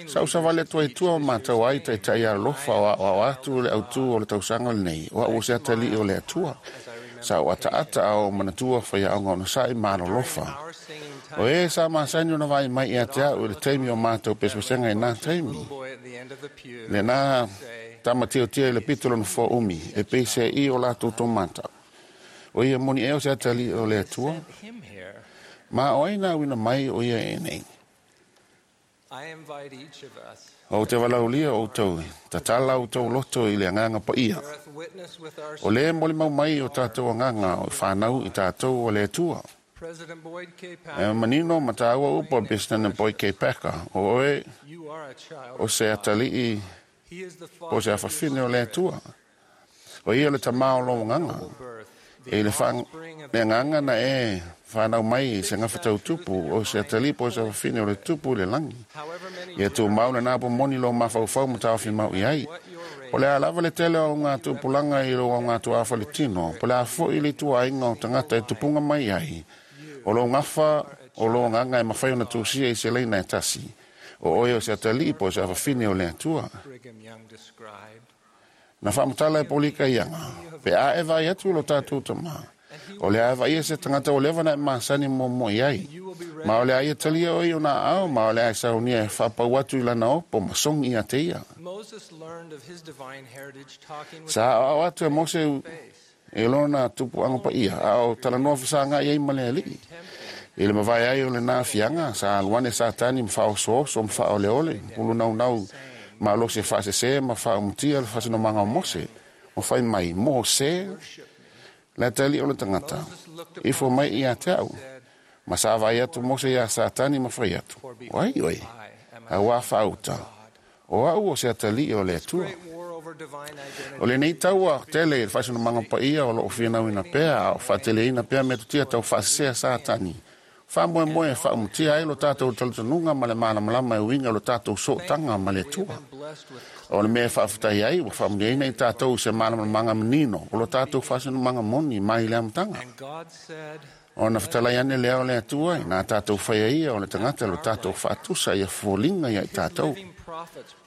Sa usavale atu ai tua ma matau ai taitai alolofa o aoao atu le autū o le tausaga lenei, o au o se atalii o le Atua. Sa o ataata a o manatua whaiaoga ona sa'i ma alolofa. O e sa masani ona vai mai ia te au i le taimi o mātou pesepesega i nā taimi. Le nā tamatiotia i le pito lona fo umi, e peise i o lātou tō mātau. O ia moni eo se atali o le atua, ma o ai nā wina mai o ia e nei. O te walaulia o tau, tatala o tau loto i le anganga pa ia. O le moli mau mai o tātou anganga o whanau i tātou o le atua. E manino mataua upo President Boyd K. Packer, o oe o se atalii o se afafine o le atua. O ia le tamao lo nganga. E le whang, le nganga na e whanau mai i se ngawhatau tupu o se atalipo o se afafine o le tupu le langi. Ia tū mau le nāpo moni lo mawhauwhau ma tāwhi mau i ai. O le alava le tele o ngā tupulanga i lo o ngā tuafa le tino. Po le afo i le tua inga o tangata e tupunga mai ai. O lo ngawha o lo nganga e mawhai o na tūsia i se leina e tasi. O oe o se atalipo o se afafine o le atua. Na whamutala e polika ianga. Pe a e vai atu lo tātou tama. O le a vai e se tangata o lewa na e masani mo mo i ai. Ma o le a ia talia o i o nā ao, ma o le a e saunia e whapau atu i lana opo, ma songi ia te ia. Sa ao atu e Mose e lona tupu anga pa ia, a o talanoa whasanga i ai ma le alii. I le mawai ai o le nā fianga, sa aluane sa tani mwhao soso, mwhao le ole, pulu nau nau ma lo se whaasese, ma whaumutia le whasenomanga o Mose. O whai mai, Mose, le tali o le tangata. Ifo mai i a te au. Ma sa vai atu Mose ia Satani ma whai atu. Oi, oi, a wā whauta. O au o se atali o le atua. O le nei taua tele i le whasenomanga pa ia o lo o whianau ina pea, o whaatele ina pea me tutia tau whaasesea Satani. Wha moe moe whaumutia ai lo tātou talitonunga ma le mālamalama e uinga lo tātou sootanga ma le atua. O le mea whaaftai ai, wa whamundiaina i tātou se mālamalama manino, o lo tātou whasenomanga moni mai le amtanga. O na whatalai ane lea o le atua, nā tātou whaia ia o le tangata lo tātou whaatusa ia fōlinga ia i tātou.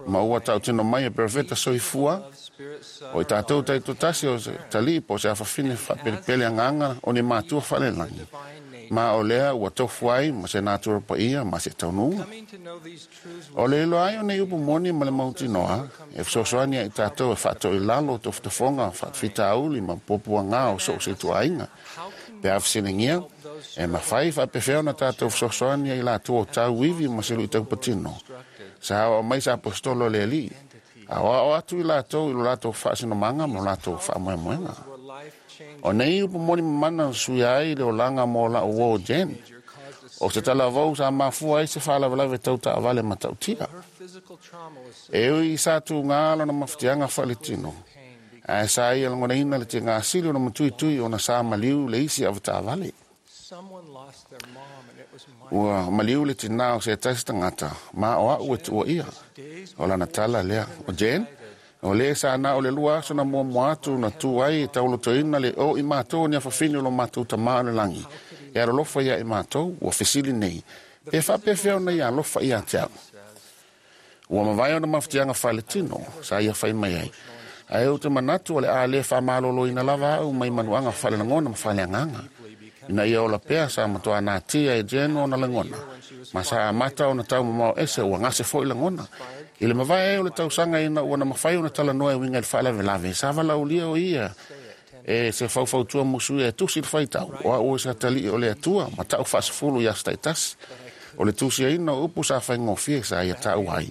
Ma ua tau tino mai e perfeta soifua, o i tātou taitotasi o se talipo se awhawhine whapelepele anganga o ni mātua whalelangi. Ma o lea ua tofu ai ma se nātura pa ia ma se taununga. O le ilo ai o nei upu moni ma le mautinoa, e whasosoani ai tātou e whaato i lalo tofutafonga, whaatwhitauli ma popua ngā o so se tuainga. Pe awhisinengia, e mawhai whaapewheo na tātou whasosoani ai lātua o tau iwi ma se lui tau patino. Sa hao mai sa apostolo le ali. A o atu i lātou i lo lātou whaasinomanga ma lo lātou whaamoemoenga. O nei upu moni mamana sui ai le olanga mo la o Jen. O se talavou sa mafua ai se whalavalave tau taavale matautia. E ui sa tu ngā alona mawhitianga whaletino. Ae sa ia langona ina le te ngā sili o na matui tui o na sa maliu le isi awataavale. Ua maliu le tinā o se tasi tangata, ma o au e tua ia. O lana tala lea. O Jen, o le sa na o le lua aso na mua mua atu na tu ai e taulotoina le o i mātou ni awhawhini o lo mātou tamā o le langi. E arolofa ia i mātou, ua fesili nei. Pe whapewheo nei alofa ia te au. Ua mawai o na mawhitianga whaletino, sa ia whai mai ai. Ae o te manatu o le a le whamalolo ina lava au mai manuanga whale langona ma whale anganga. Ina ia ola pea sa matoa nā tia e jeno o na langona. Ma sa amata o na tau mamao ese ua ngase foi langona. I le mawai e o le tausanga ina ua na mawhai o na talanoa e winga i le whaalawelawe. Sa walaulia o ia e se faufautua musu e tusi le whaitau. O a ua sa tali o le atua ma tau whaasafulu ia staitasi. O le tusi aina o upu sa whaingofie sa ia tau ai.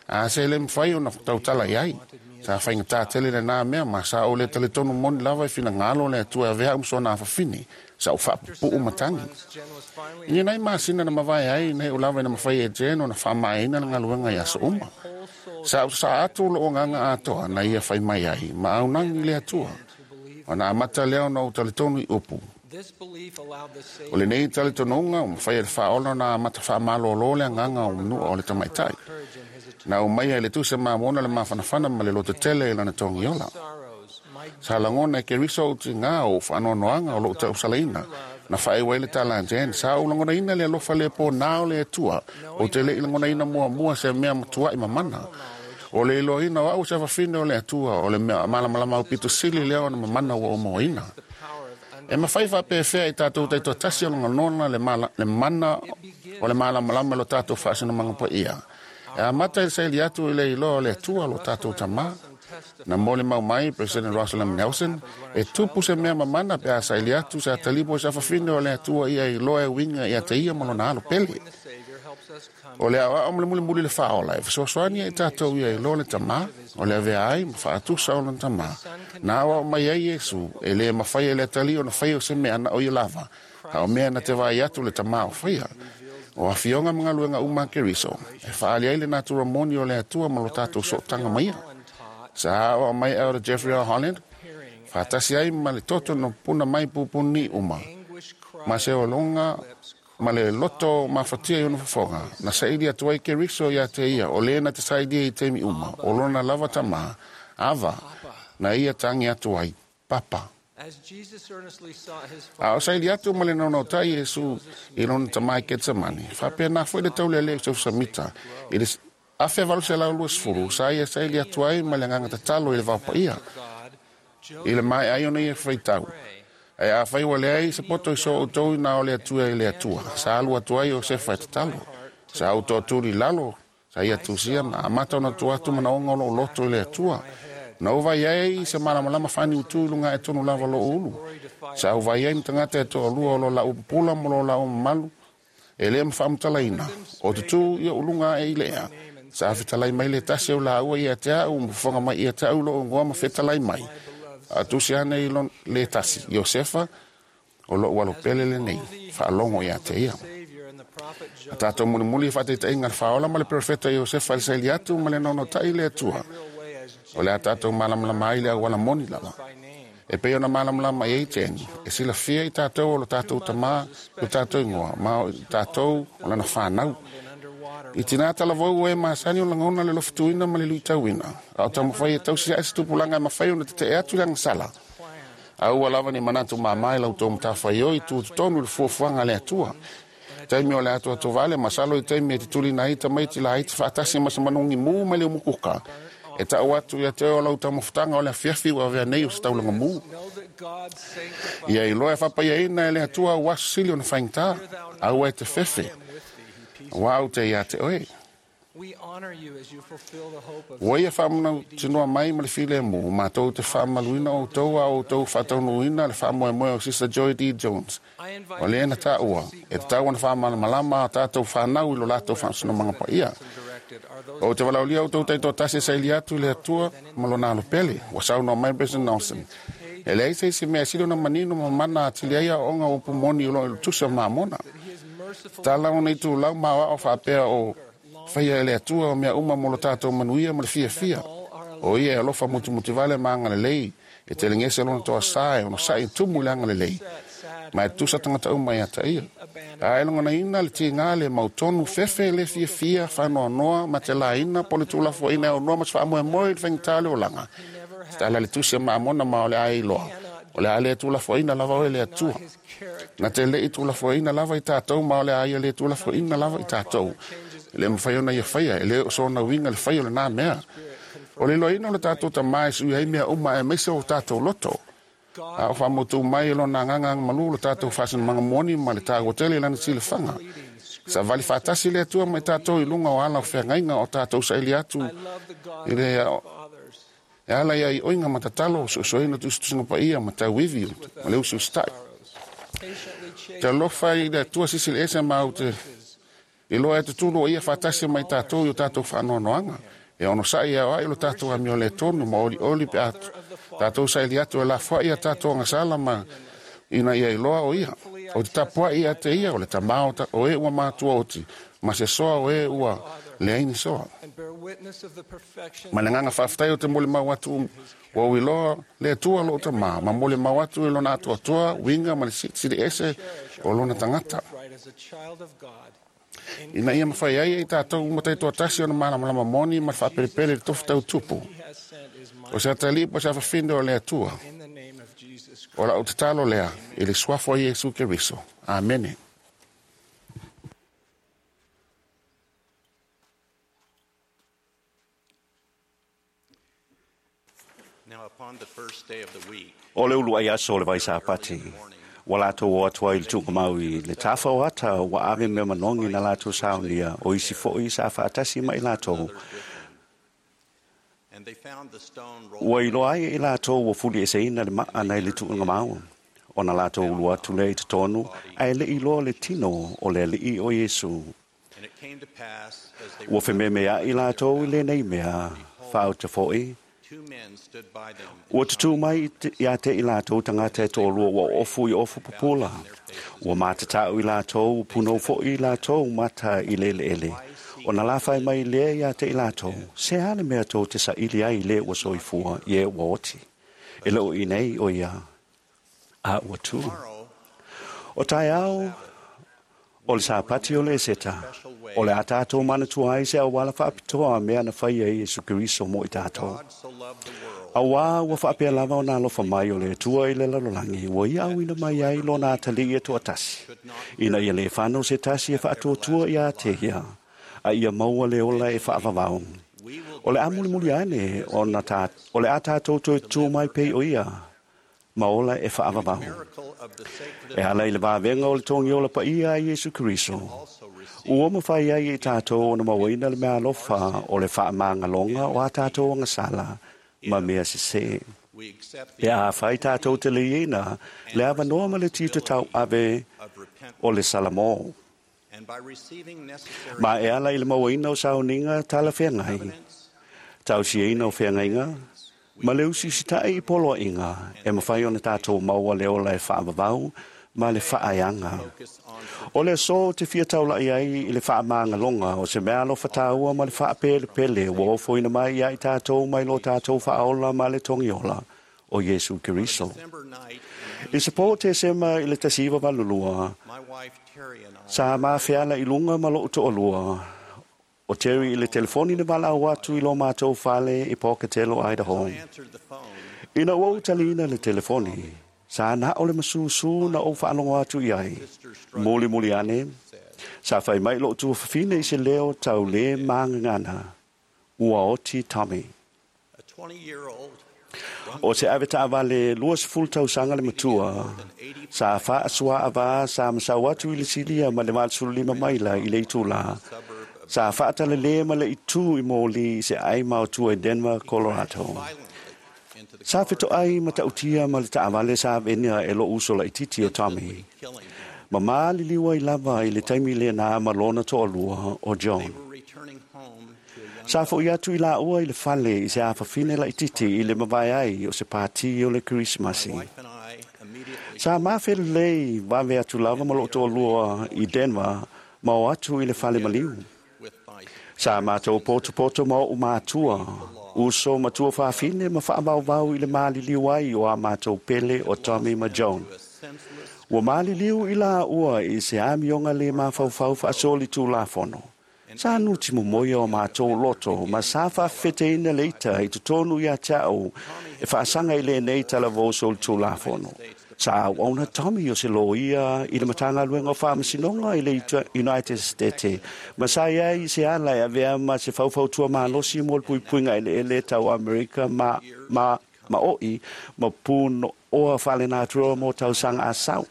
A se le mwhai o na tautala iai. Sa whainga tā tele le nā mea ma sa o le taletonu moni lava e whina ngalo le atua e avea umsona awhawhine. Sa o whapupuu matangi. Ina nei masina na mawai ai nei o lava e na mawhai e jeno na whamaina na ngaluenga i aso uma. Sa o sa atu lo o nganga atoa na ia whai mai ai ma au nangi le atua. O na amata leo na o taletonu i upu. O le nei taletonunga o mawhai e le whaola na amata whamalolo le nganga o mnua o le tamaitai. Na o mai ai le tuse mamona le mawhanawhana ma le lote tele e lana tongi ola. Sa langona e ke riso o te ngā o whanoanoanga o lo tau salaina. Na whaewa i le tala jen. Sa o langona ina le alofa le pō nā o le atua. O te le i langona ina mua mua se mea matua i mamana. O le iloa ina o au se wawhine o le atua. O le mea malamalama au pito sili leo na mamana ua o moina. E mawhai whapewhea i tātou taito tasi o longa le, mala, le mana o le malamalama lo tātou whaasina mangapa ia. E a mata i saili atu i le iloa le atua lo tātou tamā. Na mole mau mai, President Russell M. Nelson, e tupu se mea mamana pe a saili atu se atalipo sa whawhine o le atua ia iloa e winga i ate ia malona alo pele. O le awa o mle mule mule le whaola, e whasoasoani e tātou ia iloa le tamā, o le avea ai, ma whaatusa o le tamā. Nā awa o mai ai Yesu, e le mawhai e le atali o na whai o se mea na o ia lava, a o mea na te vai atu le tamā o whaia. O awhionga mga luenga uma keriso, e whaali ai le natura moni o le atua ma lo tātou sootanga maia. Sa o mai au Jeffrey R. Holland, whatasi ai ma le toto no puna mai pupuni uma. Ma se o longa, ma le loto ma whatia i ono whafonga. Na saidi atu ai ke riso ia te ia, o le na te saidi i temi uma, o lona lava tama, ava, na ia tangi atu ai, papa. A o saili atu ma le nono tai Yesu i lona tamai Ketsemane. Whapea nā fwe le taule le o samita, i le afe valu se lau luas furu, sa ia saili atu ai ma le nganga tatalo i le vaupa ia. I le mai ai ona ia whaitau. E a whai wale ai se poto i so o tau nā o le atua i le atua. Sa alu atu ai o se whai tatalo. Sa au tō tūri lalo, sa ia tusia na amata ona tu atu mana onga o lo loto i le atua. Na o vai ai se malamalama whani utu lunga e tonu lava lo ulu. Sa au vai ai mtangata e toa lua o lo la upupula mo lo la o mamalu. E lea mwhaamutalaina. O te tū ia ulunga e i lea. Sa awhitalai mai le tasi o la ua ia te au, mwafonga mai ia te au lo ngoa ma whetalai mai. A tusi ane i le tasi, Iosefa, o lo ualo pele le nei, whaalongo ia te ia. A tātou mulimuli whateita inga whaola ma le profeta Iosefa le saili atu ma le nono tai le atua. O le a tātou malamalama ai le au ala moni lava. E pei ona malamalama i eiteni, e sila fia i tātou o lo tātou tamā, o tātou ingoa, ma o tātou o lana whanau. I tina talavou e masani o langona le lofituina ma le luitauina. A o tamawhai e tausi a se tupulanga e mawhai o na te te atu le angasala. A ua lava ni manatu mamai lau tō mtawhai oi tu tonu le fuafuanga le atua. Taimi o le atua tovale masalo i taimi e te tuli na ita mai te la ita whaatasi ma manungi mū ma le umukuka. E tau atu ia te o lau tamawhutanga o le afiafi ua avea nei o se taulanga mū. Ia iloa e whapaia ina e le atua o asu sili o na whaingtā. Aua e te whewhe. Wau te ia te oe. Ua ia whaamuna tinoa mai ma le file mō, mātou te whaamaluina o tau a o tau whaataunuina le whaamoemoe o Sister Joy D. Jones. O le ena tā ua, e te tau ana whaamalamalama a tātou whanau i lo lātou whaasuna manga pa ia. O te walaulia o tau taito tasi saili atu le atua ma lona alo pele, wa sau no mai President Nelson. E le aisa isi mea silo na manino ma mana atili aia onga o pumoni o lo tusa maamona. Tala ona i tū lau maua o whaapea o whaia e le atua o mea uma mo lo tātou manuia ma le fia fia. O ia e alofa mutu vale ma anga lelei. E te lengese lona toa sae, ona sae tumu le anga lelei. Ma e tusa tangata uma ia ta ia. A e longa na ina le tingā le mautonu fefe le fia fia whanoa noa ma te la ina po le tūlafo ina o noa ma te whaamoe moe le whaingitā le olanga. Tala le tusi ma amona ma o le ai loa. O le a le tūlafo ina lava o le atua. Na te le i tūlafo ina lava i tātou ma o le ai le tūlafo ina lava i tātou. Le mwhai ona ia whaia, e le o sona winga le whai o le nā mea. O le loina o le tātou tamai sui hei mea uma e meise o tātou loto. A o whamotu mai lo nā nganga malu le tātou whasina manga moni ma le tāgo tele lana tile whanga. Sa vali whātasi le atua mai tātou i lunga o ala o whangainga o tātou saili atu i le e ala ia i oinga matatalo so soina tusutusinga pa ia ma tau ivi ma le usu stai. Te alofa i le atua sisi le ese mau te i loa e tutulu o ia whātasi mai tātou i o tātou whaanoanoanga. E ono sai ia ai lo tātou amio le tonu ma oli oli pe atu. Tātou saili atu e la fua ia tātou angasala ma ina ia iloa o ia. O te tapua ia te ia o le tamao o e ua mātua oti. Ma se soa o e ua leaini soa. Ma le nganga whaaftai o te mole mau atu ua uiloa le atua lo o tamā. Ma mole mau atu i lona atua atoa, winga ma le siri ese o lona tangata. Ina ia mawhai ai e tātou umatai toa tasi ona malamalama moni ma le whaaperepere le tofu tau tupu. O se atalipo se awhawhinde o le atua. O la o te talo lea, i le suafo a Iesu Keriso. Amene. O le ulu ai aso o le vaisapati, ua latou o atu ai i le tuugamau i le tafa o ata ua ave mea manogi na latou saunia o isi foʻi sa faatasi ma i latou. Ua iloa ai e i latou ua fulieseina le maa nai le tuugamau. Ona latou ulu atu lea i totonu, ae le iloa le tino o le alii o Iesu. Ua fememeaʻi latou i lenei mea, faauta foʻi. Ua tutū mai ia te i latou tagata e toalua ua ofu i ofu pupula. Ua matatau i latou, punou foʻi i latou mata i le eleele. Ona lafai mai lea ia te i latou, se a le mea tou te saili ai i le ua soifua i e ua oti. E le o i nei o ia, a ua tū. O taeao o le sapati o le Eseta, o le a tātou manatua ai se auala faapitoa mea na faia e Iesu Keriso mo i tātou. Auā ua faapea lava ona alofa mai o le Atua i le lalolagi, ua ia auina mai ai lona atalii e toatasi, ina ia le fanau se tasi e faatuatua ia te ia, a ia maua le ola e faavavau. O le a mulimuli ane ona tā, o le a tātou toe tū mai pei o ia, ma ola e faavavau. E ala i le vavega o le togi ola paia a Iesu Keriso. Ua mafai ai e tātou ona mauaina le mea alofa o le faamagaloga o a tātou agasala ma mea sesē. Pe a fai tātou te leiina, le avanoa ma le tiute tauave o le Salamo. Ma e ala i le mauaina o sauniga talafeagai, tausiaina o feagaiga, ma le usiusitaʻi i poloaiga e mafai ona tatou maua le ola e faavavau ma le faaeaga. O le aso ou te fia taulaʻi ai i le faamagaloga o se mea alofa tāua ma le faapelepele ua ofoina mai ia i tatou mai lo tatou faaola ma le togiola o Iesu Keriso. I se po Tesema i le tasi iva valu lua, sa mafeala i luga ma lou toalua o Terry i le telefoni na valaau atu i lo matou fale i Pocatello, Idaho. Ina ua ou taliina le telefoni, sa na o le masusu na ou faalogo atu i ai. Mulimuli ane, sa fai mai lou tuafafine i se leo tau le magagana, ua oti Tommy. O se ave taavale luasefulu tausaga le matua, sa faasuaavā sa masau atu i le silia ma le valusefulu lima maila i le itulā, sa faatalelē ma le itu i moli i se ai maotua i Denver, Colorado. Sa fetoai matautia ma le taavale sa avenia e lou uso laititi o Tommy. Ma maliliu ai lava i le taimi lenā ma lona toalua o John. Sa foʻi atu i laua i le fale i se afafine laititi i le mavae ai o se pātī o le Kerisimasi. Sa mafelelei vave atu lava ma lou toalua i Denver ma o atu i le fale maliu. Sa matou potopoto ma oʻu matua, uso matua fafine ma faavauvau i le maliliu ai o a matou pele o Tommy ma John. Ua maliliu i laua i se amioga le mafaufau faasoli tulafono. Sa nuti momoia o matou loto ma sa faafefeteina le ita i totonu ia te au e faasaga i lenei talavou solitulafono. Sa auauna Tommy o se loia i le Matagaluega o Faamasinoga i le United States ma sa iai i se ala e avea ma se faufautua malosi mo le puipuiga eleele tau Amerika ma, ma, ma oʻi ma punoʻoa faalenatura mo tausaga asau.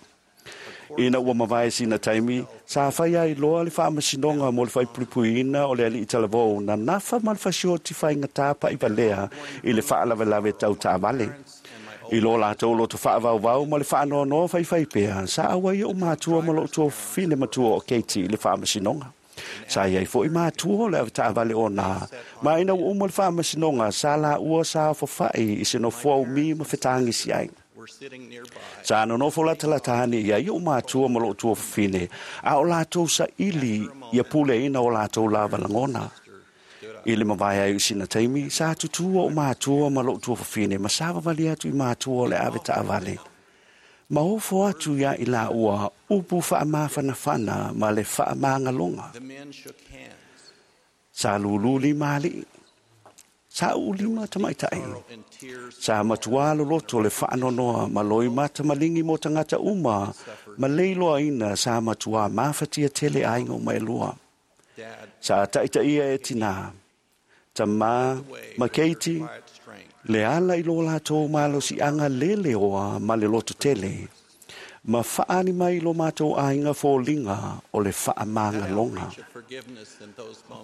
Ina ua mavae sina taimi, sa fai ai loa le faamasinoga mo le faipuipuiina o le alii talavou na nafa ma le fasioti faigatā paʻivalea i le faalavelave tau taavale. I lo latou loto faavauvau ma le faanoanoa faifai pea, sa auai oʻu matua ma lou tuafafine matua o Katie i le faamasinoga. Sa iai foʻi matua o le avetaavale ona, ma ina ua uma le faamasinoga sa laua sa ofafaʻi i se nofoa umi ma fetagisi ai. Sa nonofo latalata ane ia i oʻu matua ma lou tuafafine, a o latou saili ia puleaina o latou lava lagona. I le mavae ai o sina taimi, sa tutū oʻu matua ma lou tuafafine ma savavali atu i matua o le avetaavale. Ma ofo atu ia i laua upu faamafanafana ma le faamagaloga. Sa lūlū lima alii, sa uulima tamaitaʻi. Sa matuā loloto le faanoanoa ma loimata maligi mo tagata uma ma le iloaina sa matuā mafatia tele aiga uma e lua. Sa taʻitaʻia e tinā, tamā ma keiti, le ala i lo latou malosiaga leleoa ma le lototele, ma faali mai lo matou aiga foliga o le faamagaloga.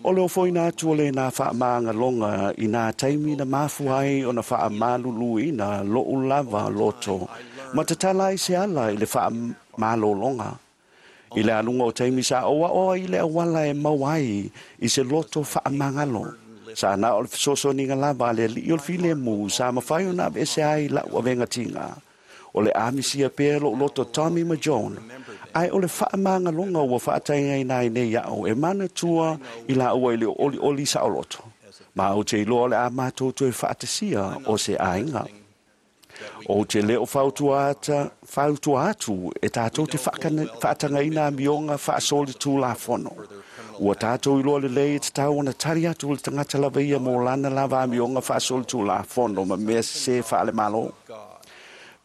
O le ofoina atu o lenā faamagaloga i nā taimi na mafua ai ona faamaluluina lo'u lava loto, ma tatala ai se ala i le faamalologa. I le aluga o taimi sa oa oa i le auala e maua ai i se loto faamagalo. Sa na o le fesoasoaniga lava a le alii o le filemu sa mafai ona aveese ai la'u avegatiga. O le amisia pea lo'u loto Tommy ma John, ae o le faamagaloga ua faataigaina ai nei a'u e manatua i laua i le olioli saoloto. Ma ou te iloa o le a matou toe faatasia o se aiga. Ou te le o fautua ata, fautua atu e tātou te faatagaina amioga faasolitulafono. Ua tātou iloa lelei e tatau ona tali atu le tagata lava ia mo lana lava amioga faasolitulafono ma mea sesē faalemalo.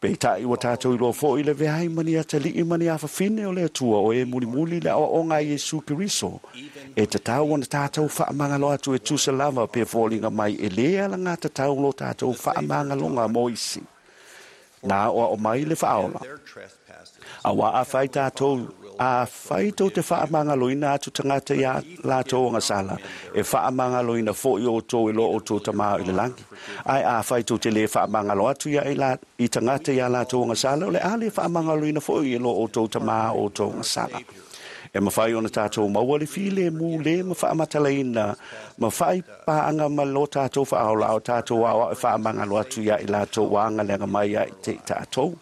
Peitai ua tātou iloa fo'i le veai ma ni atalii ma ni afafine o le Atua o e mulimuli le aoaoga a Iesu Keriso. E tatau ona tātou faamagalo atu e tusa lava pe foliga mai e lē alagatatau lo tātou faamagaloga mo isi. Nā o ao mai le faaola. Auā afai tātou, afai tou te faamagaloina atu tagata iā latou agasala, e faamagaloina fo'i outou e lo outou Tamā i le lagi. Ae afai tou te lē faamagalo atu ia i, la, i tagata iā latou agasala, o le a lē faamagaloina fo'i e lo outou Tamā outou agasala. E mafai ona tātou maua le filemu lē ma faamatalaina ma faipaaga ma lo tātou faaola o tātou aoao e faamagalo atu ia i latou ua agaleaga mai ia i te i tātou.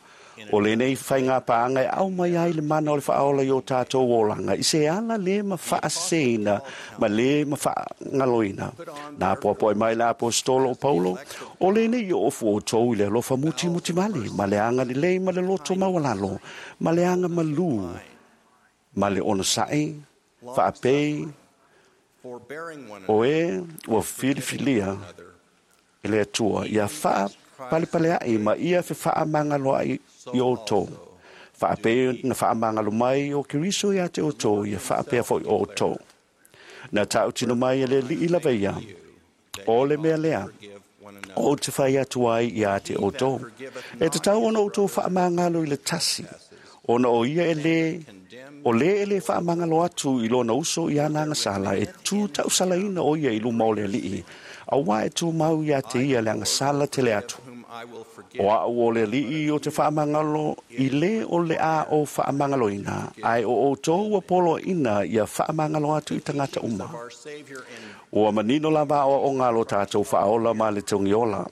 O lenei faiga paaga e aumai ai le mana o le faaola i o tātou olaga i se ala lē ma faaseseina ma lē ma faagaloina. Na poapoai mai le aposetolo o Paulo, o lenei i ofu outou i le alofa mutimutimali ma le agalelei ma le loto maualalo ma le agamalū ma le onosa'i faapei o e ua filifilia e le Atua ia faapalepalea'i ma ia fefaamagaloa'i i outou. Faapei na faamagalo mai o Keriso iā te outou ia faapea fo'i outou. Na tautino mai e le Alii lava ia, o le mea lea, ou te fai atu ai iā te outou. E tatau ona outou faamagalo i le tasi, ona o ia e lē, o lē e lē faamagalo atu i lona uso i ana agasala, e tu tausalaina o ia i luma o le Alii, auā e tumau iā te ia le agasala tele atu. O a'u o le Alii o te faamagalo i lē o le a o faamagaloina, ae o outou ua poloaina ia faamagalo atu i tagata uma. Ua manino lava aoaoga a lo tātou faaola ma le togiola.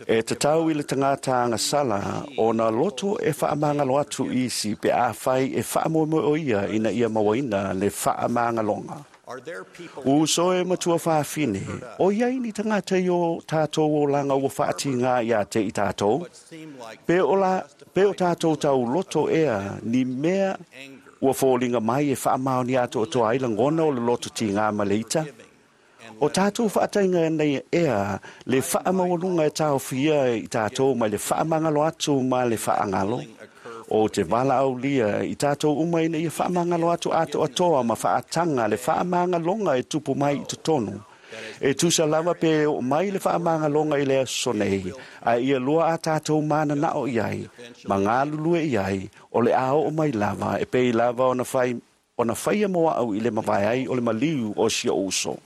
E tatau i le tagata agasala ona loto e faamagalo atu i isi pe afai e faamoemoe o ia ina ia mauaina le faamagaloga. Uso e matua fafine, o iai ni tagata i o tātou olaga ua faatigā iā te i tātou, pe o, la, pe o tātou tau loto ea ni mea ua foliga mai e faamaonia atoatoa ai lagona o le loto tigā ma le ita. O tātou faataiga nei ea le faamaualuga e taofia i tātou mai le faamagalo atu ma le faagalo. O te valaaulia i tātou uma ina ia faamagalo atu atoatoa ma faataga le faamagaloga e tupu mai i totonu. E tusa lava pe oo mai le faamagaloga i le aso nei, ae ia lua a tātou mananao i ai, ma galulue i ai, o le a oo mai lava, e pei lava ona fai, ona faia mo a'u i le mavae ai o le maliu o si o'u uso.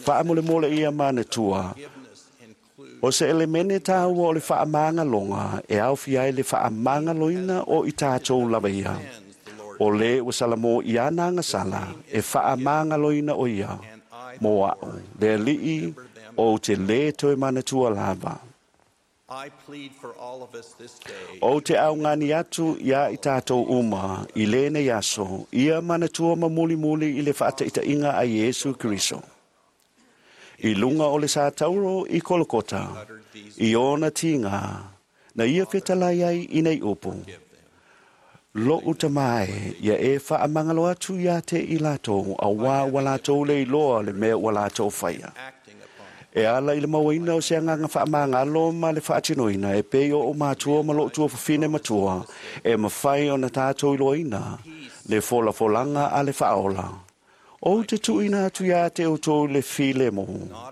Faamolemole ia manatua, o se elemene tāua o le faamagaloga e aofia ai le faamagaloina o i tātou lava ia. O lē ua salamo i ana agasala e faamagaloina o ia mo a'u, le Alii ou te lē toe manatua lava. Ou te augani atu iā i tātou uma i lenei aso, ia manatua ma mulimuli i le faataitaiga a Iesu Keriso. I luga o le satauro i Kolokota, i ona tigā, na ia fetalai ai i nei upu. Lo'u Tamā e, ia e faamagalo atu iā te i latou, auā ua latou le iloa le mea ua latou faia. E ala i le mauaina o se agaga faamagalo ma le faatinoina e pei o o'u matua ma lo'u tuafafine matua, e mafai ona tātou iloaina le folafolaga a le faaola. O te tuuina atu ia te outou le filemu,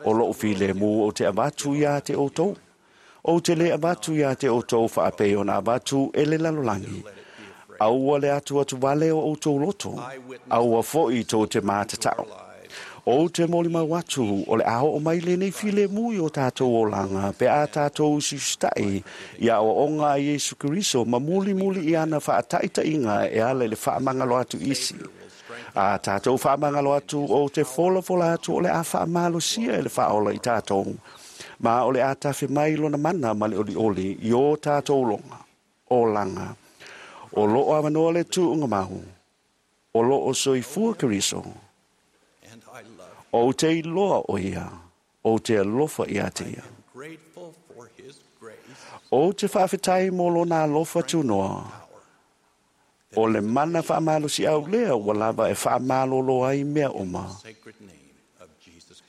o loo filemu o te avatu ia te outou. O te le avatu ia te outou faapei ona avatu e le lalolagi. Aua le atu atu vale o outou loto, aua foi tou te matatau. O te molimau atu o le a oo mai lenei filemu i o tātou olaga pe a tātou usiusitai i aoaoga a Iesu Keriso ma mulimuli i ana faataitaiga e ala i le faamagalo atu isi. A tātou faamagalo atu o te folafola atu o le a faamalosia e le faaola i tātou, ma o le a tafe mai lona mana ma le olioli i o tātou longa, olaga. O loo avanoa le tuuga mau, o loo soifua Keriso. O te iloa o ia, o te alofa ia te ia. O te faafetai mo lona alofa tunoa. O le mana faamalosi au lea ua lava e faamalolo ai mea uma.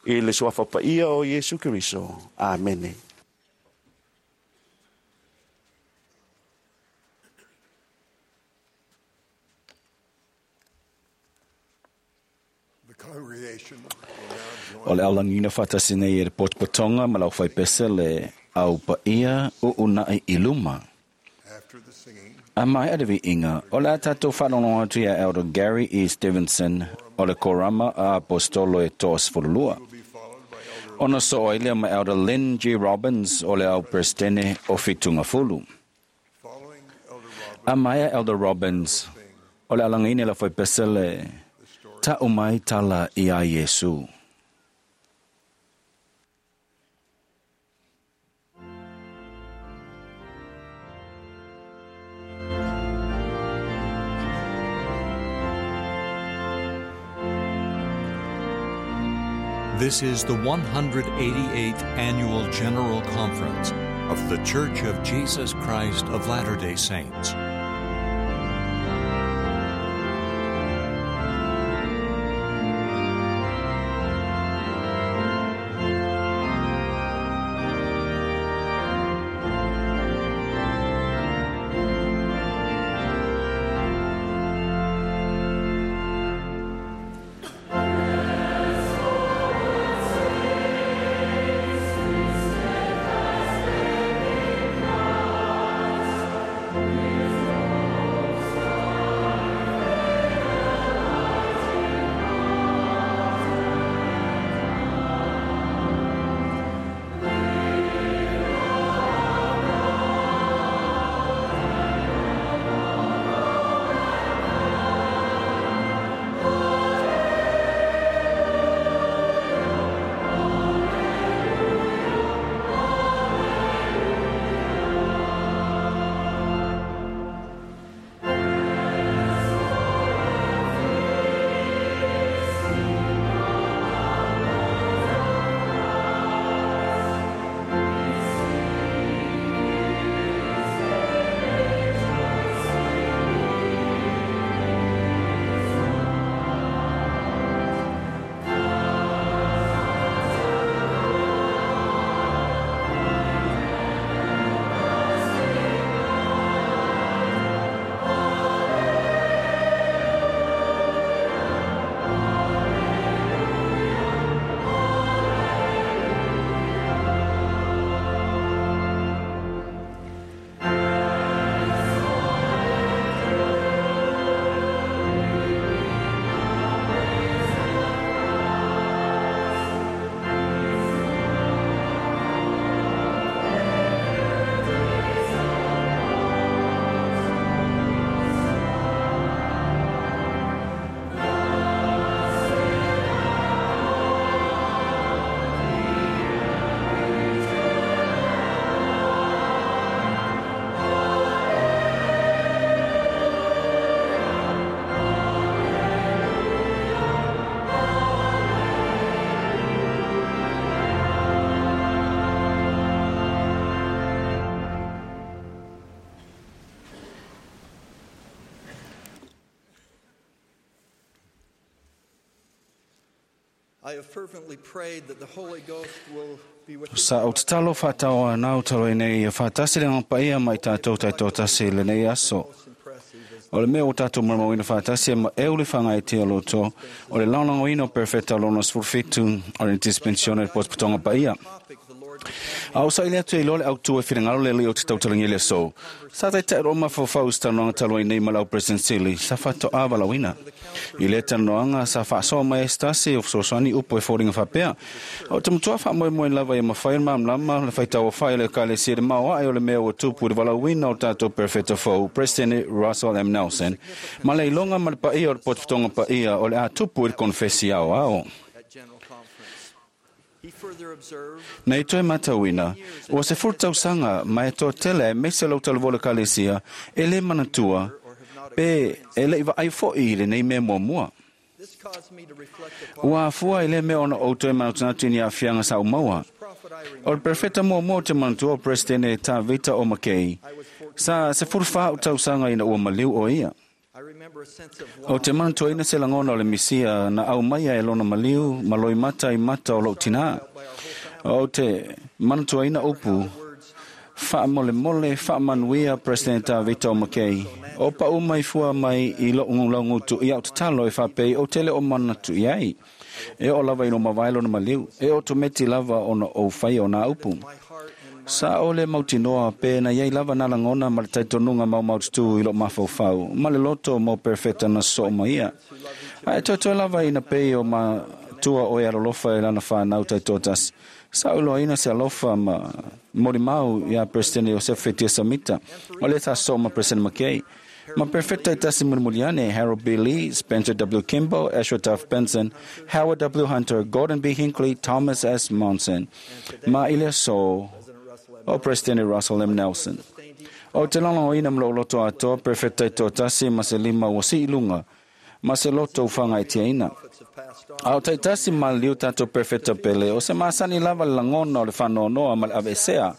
I le suafa paia o Iesu Keriso. Amene. O le aulagina whaatasi nei e le potopotonga ma lau whaipese le au paia o unai i luma. A mai a le inga, o le a tātou whanongo atu ia Elder Gary E. Stevenson o le Korama a Apostolo e toas furulua. Ona so oilea ma Elder Lynn G. Robbins o le au Presidente o Fitunga Fulu. A mai a Elder Robbins o le alangine la whaipese le ta umai tala ia Iesu. This is the one hundred eighty-eighth Annual General Conference of The Church of Jesus Christ of Latter-day Saints. Sa o tatalo whātawa nau talo i nei whātasi le ngā paia mai tātou tai tō tasi le nei aso. O le mea o tātou maramauina whātasi e ma e uli whangai te aloto o le laolongoina o perfecta lona sefulufitu o le dispensione le potopotoga paia. A o saili atu e iloa le autu e finagalo le alii o te tautalagia i le aso. Sa taitai roa mafaufau i se talanoaga talu ai nei ma le au President Sili sa faatoa valaauina. I lea talanoaga sa faasoa mai ai se tasi o fesoasoani upu e foliga faapea. O te matua faamoemoe lava ia mafai ona malamalama le faitauaofai o le Ekalesia i le maoae o le mea ua tupu i le valaauina o tatou Perofeta fou, President Russell M. Nelson, ma le iloga ma le paia o le potopotoga paia o le a tupu i le konofesi aoao. Nei toe matauina, ua sefulu tausaga ma e toatele aemaise lau talavou o le Ekalesia e lē manatua pe e le'i vaai fo'i i lenei mea muamua. Ua afua i lea mea ona ou toe manatunatu i ni aafiaga sa ou maua. O le perofeta muamua o te manatua o Peresetene Tavita o Makei, sa sefulu fa a'u tausaga ina ua maliu o ia. O te manatuaina se lagona o le Misia na aumaia e lona maliu ma loimata i mata o lou tinā. O te manatuaina upu, faamolemole, faamanuia President Tavita o Makei. O paʻu mai fua mai i loʻu laugutu i au tatalo e faapei ou te le o manatu i ai. E oo lava i lo mavae lona maliu, e otometi lava ona ou faia o nā upu. Sa o le mautinoa pe na iai lava nā lagona ma le talitonuga maumaututu i lou mafaufau ma le loto mo perofeta na sosoo mai ia. Ae toetoe lava ina pei o matua o e alolofa e lana whānau taitoatasi. Sa uloaina se alofa ma molimau iā Peresetene Iosefa Fetia Samita, o lea sa sosoo ma Peresetene McKay. Ma perofeta e tasi mulimuli ane, Harold B. Lee, Spencer W. Kimball, Ezra Taft Benson, Howard W. Hunter, Gordon B. Hinckley, Thomas S. Monson, ma i le aso o Presidente Russell M. Nelson. O te lagolagoina ma lou loto atoa, perofeta e toatasi ma se lima ua sii luga, ma se loto ua fagaitiaina. A o taitasi maliliu tatou perofeta pele, o se masani lava le lagona o le faanoanoa ma le aveesea.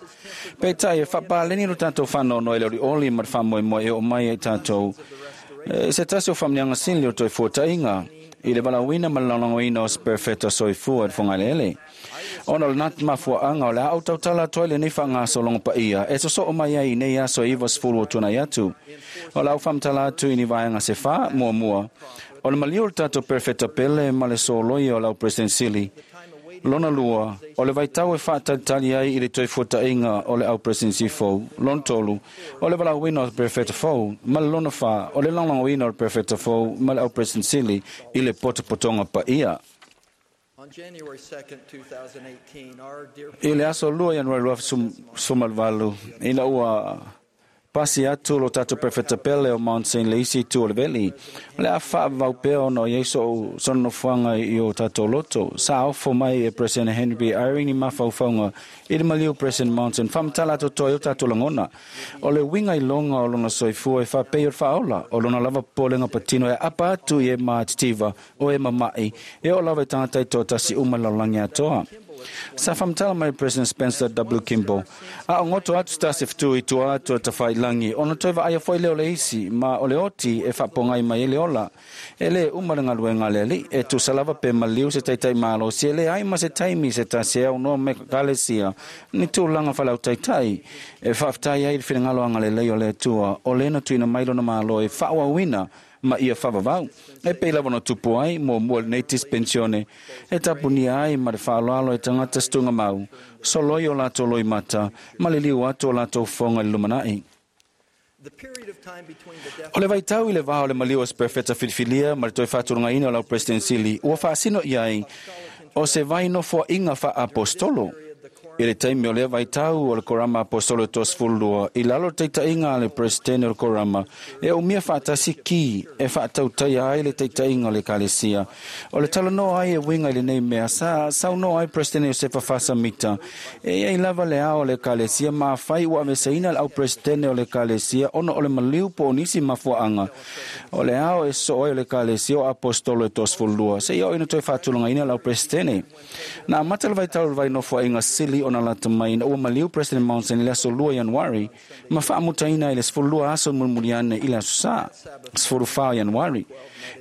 Peitai e faapaleni lo tatou faanoanoa i le olioli ma le faamoemoe e oo mai ai tatou e se tasi o faamanuiaga sili o toe fuataiga i le valaauina ma le lagolagoina o se perofeta soifua i le fogaeleele. Ona o le mafuaaga o le a ou tautala atu ai lenei faagasologa paia e sosoo mai ai i nei aso e ivasefulu o tuanai atu. O le a ou faamatala atu i ni vaega se fa muamua. O le maliu o le tatou perofeta pele ma le soloia o lau President Sili. Lona lua, o le vaitau e faatalitali ai i le toe fuataiga o le au President fou. Lona tolu, o le valaauina o le perofeta fou. Ma le lona fa, o le lagolagoina o le perofeta fou ma le au President Sili i le potopotoga paia. I le aso lua Ianuari lua sefulu valu, ina ua pasi atu lo tatou perofeta pele o Mount Saint le isi itu o le veli, o le a faavavau pea ona o iai soʻu sona nofoaga i o tatou loto. Sa ofo mai e President Henry B. Eyring ni mafaufauga i le maliu President Monson faamatala atoatoa ai o tatou lagona. O le uiga iloga o lona soifua e faapei o le faaola, o lona lava popolega patino e aapa atu i e matitiva o e mamaʻi, e oo lava i tagata i toatasi uma i le lalolagi atoa. Sa faamatala mai President Spencer W. Kimball, a o goto atu se tasi fetu i tua atu o le tafaiilagi, ona toe vaaia fo'i lea o le isi, ma o le oti e faapogai mai ai le ola. E lē uma le galuega a le alii, e tusa lava pe maliu se taitai malosi, e leai ma se taimi se tasi e aunoa mai Ekalesia ni tulaga faaleautaitai e faafetai ai i le finagalo agalelei o le Atua, o lea na tuuina mai lona Malo e faaauauina ma ia faavavau. E pei lava ona tupu ai muamua lenei dispensione e tapunia ai ma le faaaloalo e tagata se tugamau, soloi o latou loimata ma le liu atu o latou fofoga i le lumanai. O le vaitau i le va o le maliu o se perofeta filifilia ma le toe faatulagaina o lau President Sili ua faasino i ai o se vai nofoaʻiga faaapostolo. I le taimi o lea vaitau o le Korama Apostolo e toasefulu lua, i lalo o le taitaiga a le Peresetene o le Korama, e umia faatasi ki e faatautaia ai le taitaiga o le Ekalesia. O le talanoa ai e uiga i lenei mea, sa saunoa ai Peresetene Iosefa Faasamita, e iai lava le ao o le Ekalesia ma afai ua aveseina le au Peresetene o le Ekalesia ona o le maliu po o nisi mafuaaga. O le ao e sosoo ai o le Ekalesia o Apostolo e toasefulu lua, seia oo ina toe faatulagaina le au Peresetene. Na amata le vaitau o le vai nofoaiga sili ona lata mai na ua maliu President Monson i le aso lua Ianuari ma faamutaina i le sefululua aso mulimuliane i le aso Sā, sefulufa o Ianuari.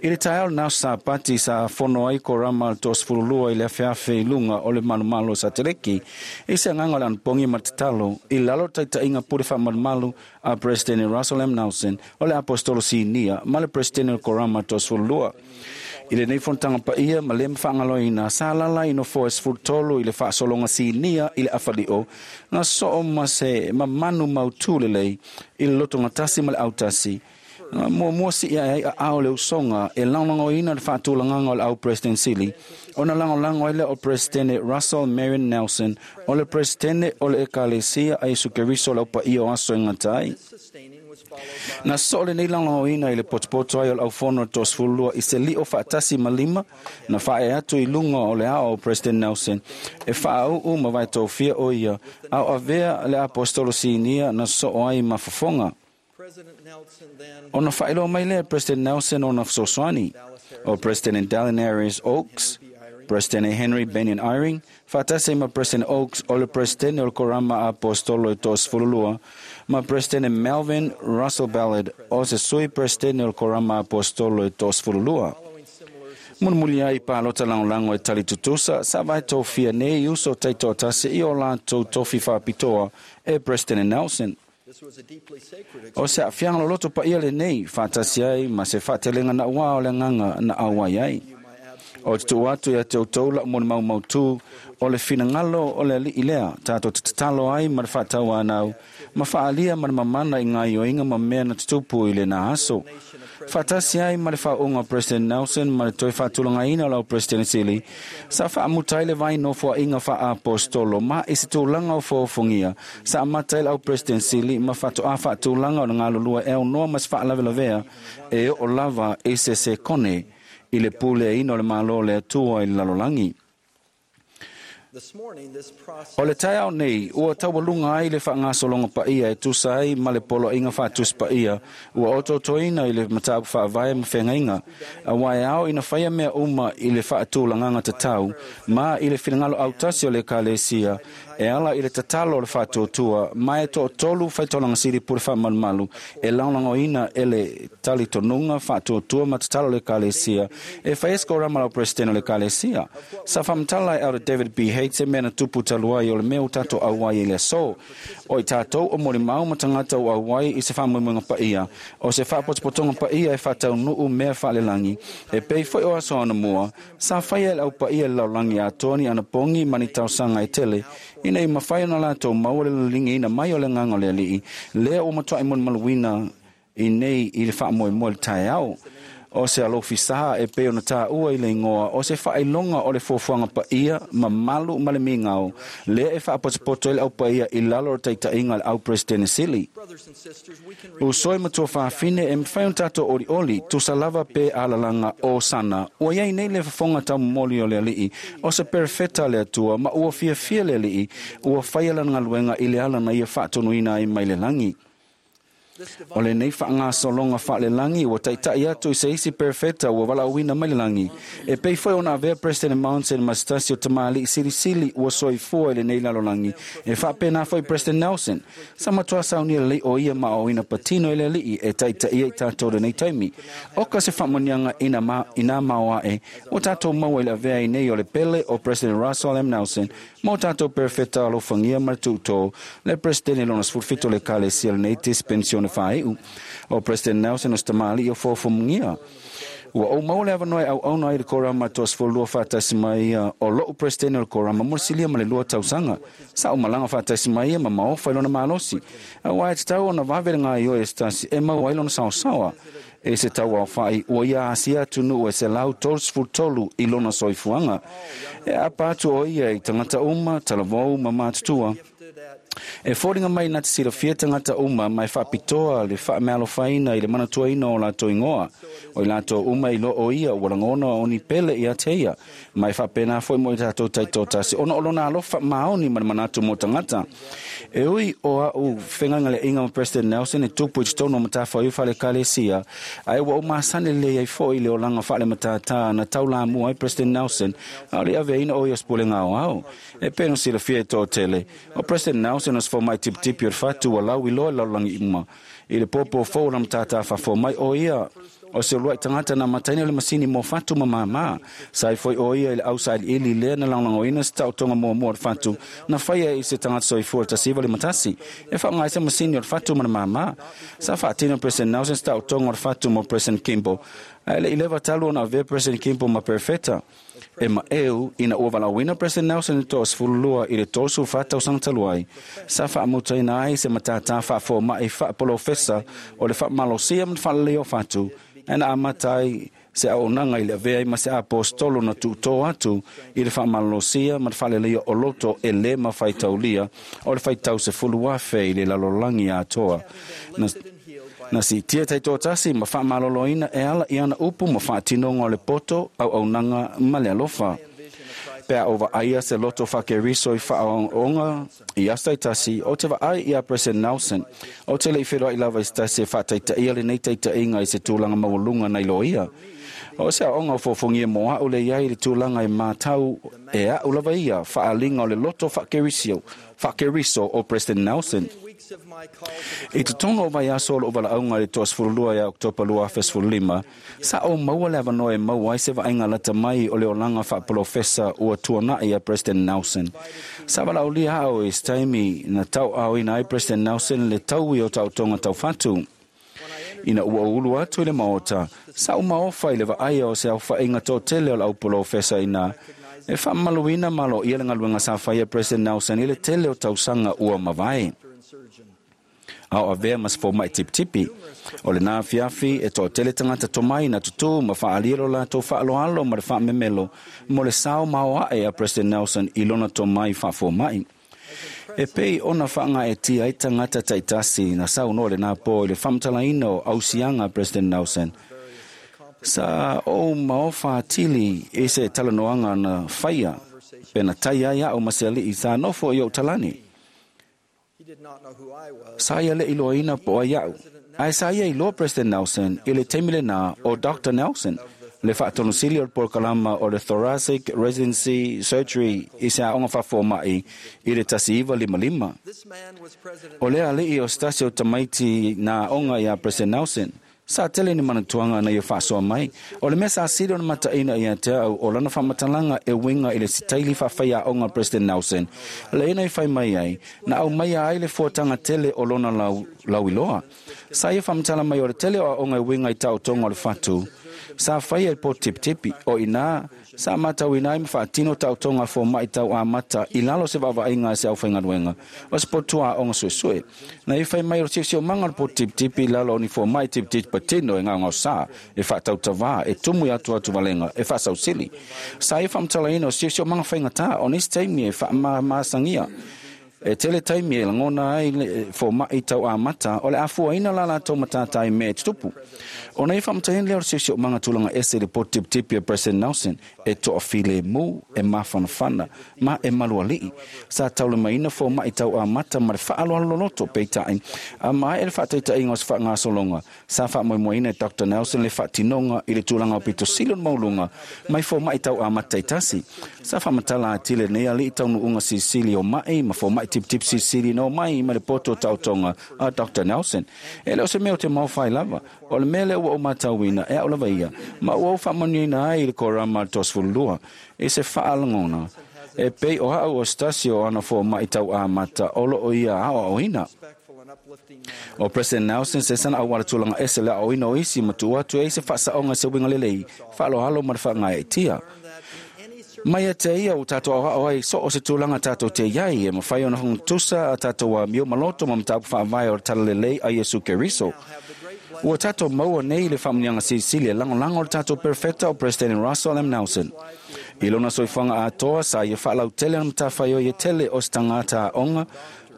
I le taeao lena aso Sapati sa fono ai korama le toasefululua i le afeafe i luga o le malomalo o Sateleki i se agaga o le anapogi ma le tatalo i lalo o le taitaiga pule faamalumalu a President Russell M. Nelson o le Apostolo Sinia ma le President o le korama toasefululua. I lenei fonotaga paia ma le mafaagaloina sa lala i nofoa e sefulutolu i le faasologa sinia i le afalio na soo ma se mamanu mautū lelei i le lotogatasi ma le autasi. Muamua sii ae ai aao le usoga e lagolagoina le faatulagaga o le au President Sili ona lagolago ai lea o Presidente Russell Marion Nelson o le Presidente o le Ekalesia a Iesu Keriso o le aupaia o aso e gata ai. Na soo lenei lagolagoina i le potopoto ai o le aufono o le toasefululua i se lio faatasi ma lima na faae atu i luga o le ao o President Nelson e faauu ma vaetofia o ia ao avea le apostolo sinia na soo ai ma fofoga. Ona faailoa mai lea President Nelson ona fesoasoani o President Dallin Harris Oaks, President Henry Benyon Eyring, faatasi ma President Oaks o le President o le Korama Apostolo e toasefululua, ma President Melvin Russell Ballard o se sui President o le Korama Apostolo e toasefululua. Mulimuli ai palota lagolago e tali tutusa sa vaetofia nei uso taitoatasi i o latou tofi faapitoa e President Nelson. O se aafiaga loloto paia lenei faatasi ai ma se faatelega nauā o le agaga na auai ai. O te tuu atu ia te outou lau mo le maumautū o le finagalo o le alii lea tatou te tatalo ai ma le faatauanau ma faaalia ma le mamana i gaioiga ma mea na tutupu i lena aso. Faatasi ai ma le faauuga o President Nelson ma le toe faatulagaina o lau President Sili sa faamuta ai le vai nofoaiga faaapostolo ma i se tulaga o foofogia sa amata ai le au President Sili ma faatoa faatulaga o le galulua e aunoa ma se faalavelavea e oo lava i se sekone i le puleaina o le Malo o le Atua i le lalolagi. O le taeao nei, ua taualuga ai le faagasologa paia e tusa ai ma le poloaiga faatusi paia ua otootoina i le mataupu faavae ma feagaiga, auā e ao ina faia mea uma i le faatulagaga tatau ma i le finagalo autasi o le Ekalesia e ala i le tatalo o le faatuatua ma e toatolu faitolaga sili pule faamalumalu e lagolagoina e le talitonuga faatuatua ma tatalo o le Ekalesia e faia se korama lau President o le Ekalesia. Sa faamatala e Elder David B. Hates e mea na tupu talu ai o le mea ua tatou auai i le aso. O i tatou o molimau ma tagata ua auai i se faamoemoega paia, o se faapotopotoga paia e faataunuu mea faalelagi, e pei foi o aso anamua, sa faia e le aupaia i le lalolagi atoa ni anapogi ma ni talosaga e tele, ina ia mafai ona latou maua le liligiina mai o le agaga o le alii, lea ua matuai molimauina i nei i le faamoemoe i le taeao. O se alofi sā e pei ona tāua i le igoa, o se faailoga o le fuafuaga paia, mamalu ma le migao, lea e faapotopoto ai le aupaia i lalo o le taitaiga a le au Presidente Sili. Uso e matua fafine e mafai ona tatou olioli, tusa lava pe alalaga o sana. Ua iai nei le fofoga taumomoli o le alii, o se perefeta a le Atua, ma ua fiafia le alii, ua faia lana galuega i le ala na ia faatonuina ai mai le lagi. O lenei faagasologa faalelagi ua taitai atu i se isi perefeta ua valaauina mai le lagi. E pei foi ona avea President Monson ma se tasi o tamalii silisili ua soifua i lenei lalolagi. E faapena foi President Nelson. Sa matua saunia lelei o ia ma aoina patino i le alii e taitaia i tatou lenei taimi. Oka se faamanuiaga ina ma, ina maoae ua tatou maua i le avea ai nei o le pele o President Russell M. Nelson ma o tatou perefeta alofagia ma le tuutō le Presidente lona sefulufitu o le Ekalesia lenei dispensione faaiu. O President Nelson o se tamalii o foofomugia. Ua ou maua le avanoa e auauna ai le korama toasefululua faatasi mai ia o lou Presidente o le korama mo le silia ma le lua tausaga. Sa ou malaga faatasi mai ia ma maofa i lona malosi. Auā e tatau ona vave le gaoioi e se tasi e maua ai lona saosaoa. E se tauaofai ua ia asia atunuu e selau tolusefulu tolu i lona soifuaga. E aapa atu o ia i tagata uma, talavou ma matutua. E foliga mai na te silafia tagata uma ma e faapitoa le faamealofaina i le manatuaina o latou igoa. O i latou uma i loo ia ua lagona o ni pele ia te ia. Ma e faapena foi mo i tatou taitōtasi ona o lona alofa maoni ma le manatu mo tagata. E ui o au fegalegaleaiga ma President Nelson e tupu i totonu o matafaioi faale-ekalesia, ae ua ou masani lelei ai foi i le olaga faale-matātā na taulamua ai President Nelson a o le aveaina o ia o se pulega aoao. E pei ona silafia e toatele, o President Nelson o se fomai tipitipi o le fatu ua lau iloa i le lalolagi uma. I le pōpō fou o lana matātā faafomai o ia o se uluai tagata na amataina le masini mo fatu ma māmā. Sa ai foi o ia i le ausailiili lea na lagolagoina se taotoga muamua o le fatu na faia i se tagata soifua i le tasi iva lima tasi. E faaaoga ai se masini o le fatu ma le māmā. Sa faatino President Nelson se taotoga o le fatu mo President Kimball. Ae le i leva talu ona avea President Kimball ma Perfeta. E maeu ina ua valaauina President Nelson i le toasefululua i le tolusefa tausaga talu ai, sa faamutaina ai se matātā faafomai faapolofesa o le faamalosia ma le faaleleia o fatu, ae na amata ai se auaunaga i le avea ai ma se apostolo na tuutō atu i le faamalolosia ma le faaleleia o loto e lē mafaitaulia o le faitau sefulu afe i le lalolagi atoa. Na, na siitia taitōtasi ma faamaloloina e ala i ana upu ma faatinoga o le poto, auaunaga ma le alofa. Pe a o vaaia se loto faakeriso i faaoga i aso taitasi, o te vaai ia President Nelson, o te le i feloai lava i se tasi e faataitaia lenei taitaiga i se tulaga maualuga nai lo ia. O se aoga o fofogia mo a'u le iai le tulaga e mātau e a'u lava ia faaaliga o le loto faakerisio, faakeriso o President Nelson. I totonu o vaiaso o lou valaauga i le toasefululua ia Oketopa lua afe sefululima, sa ou maua le avanoa e maua ai se vaaiga lata mai o le olaga faapolofesa ua tuana'i a President Nelson. Sa valaaulia a'u i se taimi na tauaaoina ai President Nelson le taui o taotoga taufatu. Ina ua ou ulu atu i le maota, sa ou maofa i le vaaia o se aofaiga toatele o le aupolofesa ina e faamamaluina ma aloaia le galuega sa faia President Nelson i le tele o tausaga ua mavae. A o avea ma se fomai tipitipi. O lenā afiafi e toatele tagata tomai na tutū ma faaalia lo latou faaaloalo ma le faamemelo mo le sao ma aoae a President Nelson i lona tomai faafomai. E pei ona faagaeatia ai tagata taitasi na saunoa i lenā pō i le faamatalaina o ausiaga a President Nelson. Sa ou maofa atili i se talanoaga na faia pe na tai ai a'u ma se ali'i sa nofo i ou talani. Sa ia le iloaina po ai a'u, ae sa ia iloa President Nelson i le taimi lenā o Doctor Nelson, le faatonosili o le polokalama o le Thoracic Residency Surgery i se aoga faafoma'i i le tasi iva lima lima. O le ali'i o se tasi o tamaiti na aoga iā President Nelson, sa tele ni manatuaga na ia faasoa mai. O le mea sa sili ona mataʻina ia te a'u o lana faamatalaga e uiga i le sitaili faafaiaoga a President Nelson, lea na i fai mai ai, na aumaia ai le fuataga tele o lona lau, lauiloa. Sa ia faamatala mai o le tele o aoga e uiga i taotoga o le fatu, sa faia i le poto tipitipi, o inā sa matauina ai ma faatino taotoga a fomaʻi tau amata i lalo o se vaavaaiga a se aufaigaluega o se potu aoga suesue. Na ia fai mai o le siosiomaga o le poto tipitipi i lalo o ni fomaʻi tipitipi patino e gaogaosā, e faatautavā, e tumu i atuatuvalega, e faasausili. Sa ia faamatalaina o siosiomaga faigatā o nisi taimi e faamamasagia. E tele taimi e lagona ai le fomaʻi tau amata o le afuaina la latou matātā i mea e tutupu. Ona ia faamatalaina lea o le siosiomaga tulaga ese i le poto tipitipi a President Nelson e toafilemu, e mafanafana ma e malualiʻi. Sa taulimaina fomaʻi tau amata ma le faaaloalo loloto peitaʻi a maea le faataitaʻiga o se faagasologa. Sa faamoemoeina e Doctor Nelson le faatinoga i le tulaga o pitosili o le mauluga mai fomaʻi tau amata taitasi. Sa faamatala atili lenei aliʻi taunuuga silisili o maʻi ma fomaʻi tipitipi silisili na omai ma le poto o taotoga a Doctor Nelson. E le o se mea o te maofai lava, o le mea lea ua ou matauina e a'u lava ia, ma ua ou faamanuiaina ai i le korama a le toasefululua i se faalagona e pei o a'u o se tasi o ana fomaʻi tau amata o loo ia aoaoina. O President Nelson se sana auala tulaga ese le aoaoina o isi ma tuu atu ai se faasaoga i se uiga lelei, faaaloalo ma le faagaeatia. Mai ia te ia ua tatou aoao ai so o se tulaga tatou te iai e mafai ona fagatusa a tatou amio ma loto ma mataupu faavae o le talalelei a Iesu Keriso. Ua tatou maua nei le faamanuiaga silisili e lagolago o le tatou Perfeta o President Russell M. Nelson. I lona soifuaga atoa sa ia faalautele ona matafaioi e tele o se tagata aoga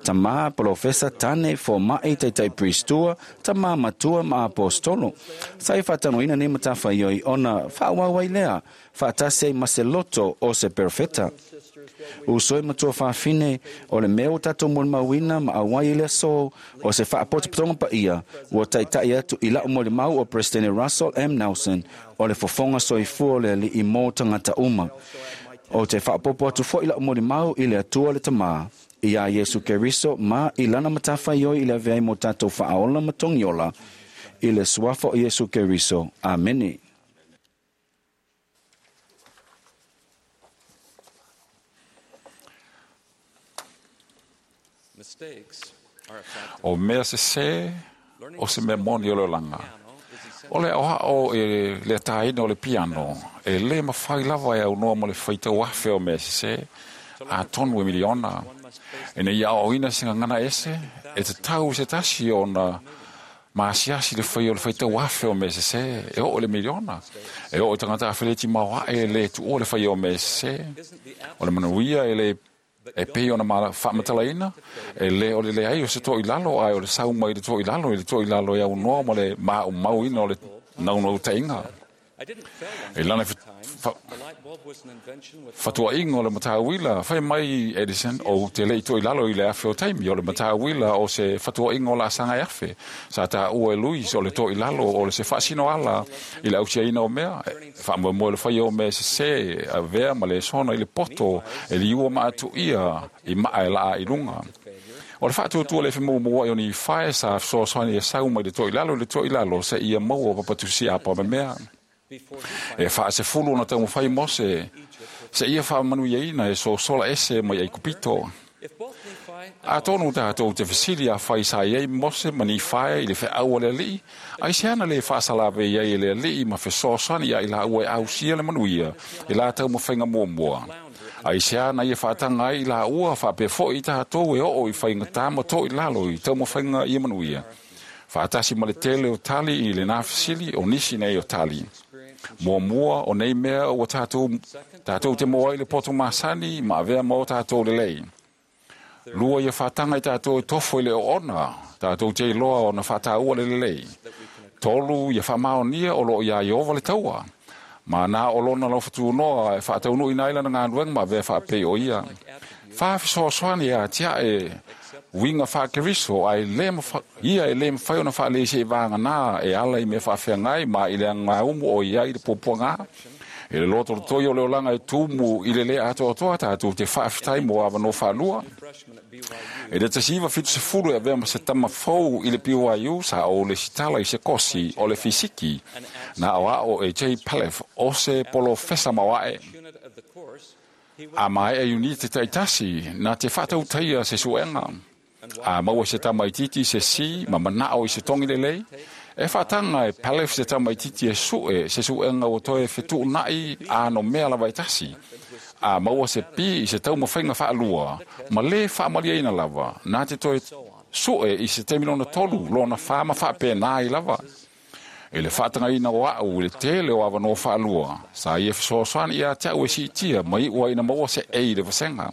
Tamā polofesa tane foma'i taitai pristua, tamā matua ma apostolo. Sa e faatanoina nei matafaioi ona faaauau ai lea, faatasi ai ma se loto o se perofeta. Uso e matua faafine o le mea ua tatou molimauina ma auai i le aso o se faapotopotoga paia ua taita'i atu i la'u molimau o Peresetene Russell M. Nelson o le fofoga soifua o le Ali'i mo tagata uma. O te faapopo atu fo'i la'u molimau i le Atua le Tamā, iā Iesu Keriso ma i lana matafaioi i le avea ai mo tatou faaola ma togiola i le suafa o Iesu Keriso. Amene. O mea sesē o se mea moni o le olaga. O le aoao e le ataina o le piano, e lē mafai lava e aunoa ma le faitau afe o mea sesē, atonu e miliona. Ina ia aoaoina se gagana ese, e tatau i se tasi ona maasiasi le faia o le faitau afe o mea sesē, e oo i le miliona. E oo i tagata afeleti maoae e lē tuua le faia o mea sesē. O le manuia e lē e pei ona faamatalaina, e lē o le leai o se toʻilalo, ae o le sau mai i le toʻilalo i le toʻilalo e aunoa ma le maʻaumauina o le naunautaiga. E lana fatuaʻiga o le matauila, fai mai Edison, ou te leʻi toʻilalo i le afe o taimi, o le matauila o se fatuaʻiga o laasaga e afe. Sa taua e Luis o le toʻilalo o le se faasino ala i le ausiaina o mea, e faamoemoe le faia o mea sesē, avea ma le sona i le poto, e liua ma atuia i maa e laa i luga. O le faatuatua le femuamua'i o Nifae sa fesoasoani e sau mai le toʻilalo i le toʻilalo seia maua papatusi apa ma mea. E faasefulu ona taumafai Mose seia faamanuiaina e sosola ese mai Aikupito. Atonu tatou te fesili afai sa i ai Mose ma Nifae i le feau a le Ali'i, aiseana lē faasalavei ai e le Ali'i ma fesoasoani ia i laua e ausia le manuia i la taumafaiga muamua. Aiseana ia faataga ai i laua faapea fo'i tatou e oo i faigatā ma toʻilalo i taumafaiga ia manuia. Faatasi ma le tele o tali i lenā fesili o nisi nei o tali. Muamua o nei mea ua tatou, tatou te moa ai le poto masani ma avea ma o tatou lelei. Lua ia faataga i tatou e tofo i le oona, tatou te iloa ona faataua le lelei. Tolu ia faamaonia o loo iā Ieova le taua. Ma nā o lona laufatunoa e faataunuuina ai lana galuega ma avea faapei o ia. Fa fesoasoani ia tiae uiga faakeriso ae lē ia e lē mafai ona faaleisia i vaganā e ala i mea faafeagai ma i le agaumu o iai le puapuagā. E le lotolotoi o le olaga e tumu i le lē atoatoa tatou te faafetai mo avanoa faalua. E le tasi iva fitu sefulu e avea ma se tama fou i le B Y U sa o le sitala i se kosi o le fisiki na aoao e J. Palef o se polofesa maoae. A mae e unite taitasi na te faatautaia se suega. A maua se tamaititi se si ma manao i se tongi lelei. E faataga e Palef se tamaititi e sue se suega ua toe fetuunaʻi a no mea lava e tasi. A maua se pi i se taumafaiga faalua ma lē faamaliaina lava na te toe sue i se taimi lona tolu lona fā ma faapenā ai lava. E le faatagaina o a'u i le tele o avanoa faalua sa ia fesoasoani ia te a'u e siitia ma iʻu ai na maua se ei le vasega.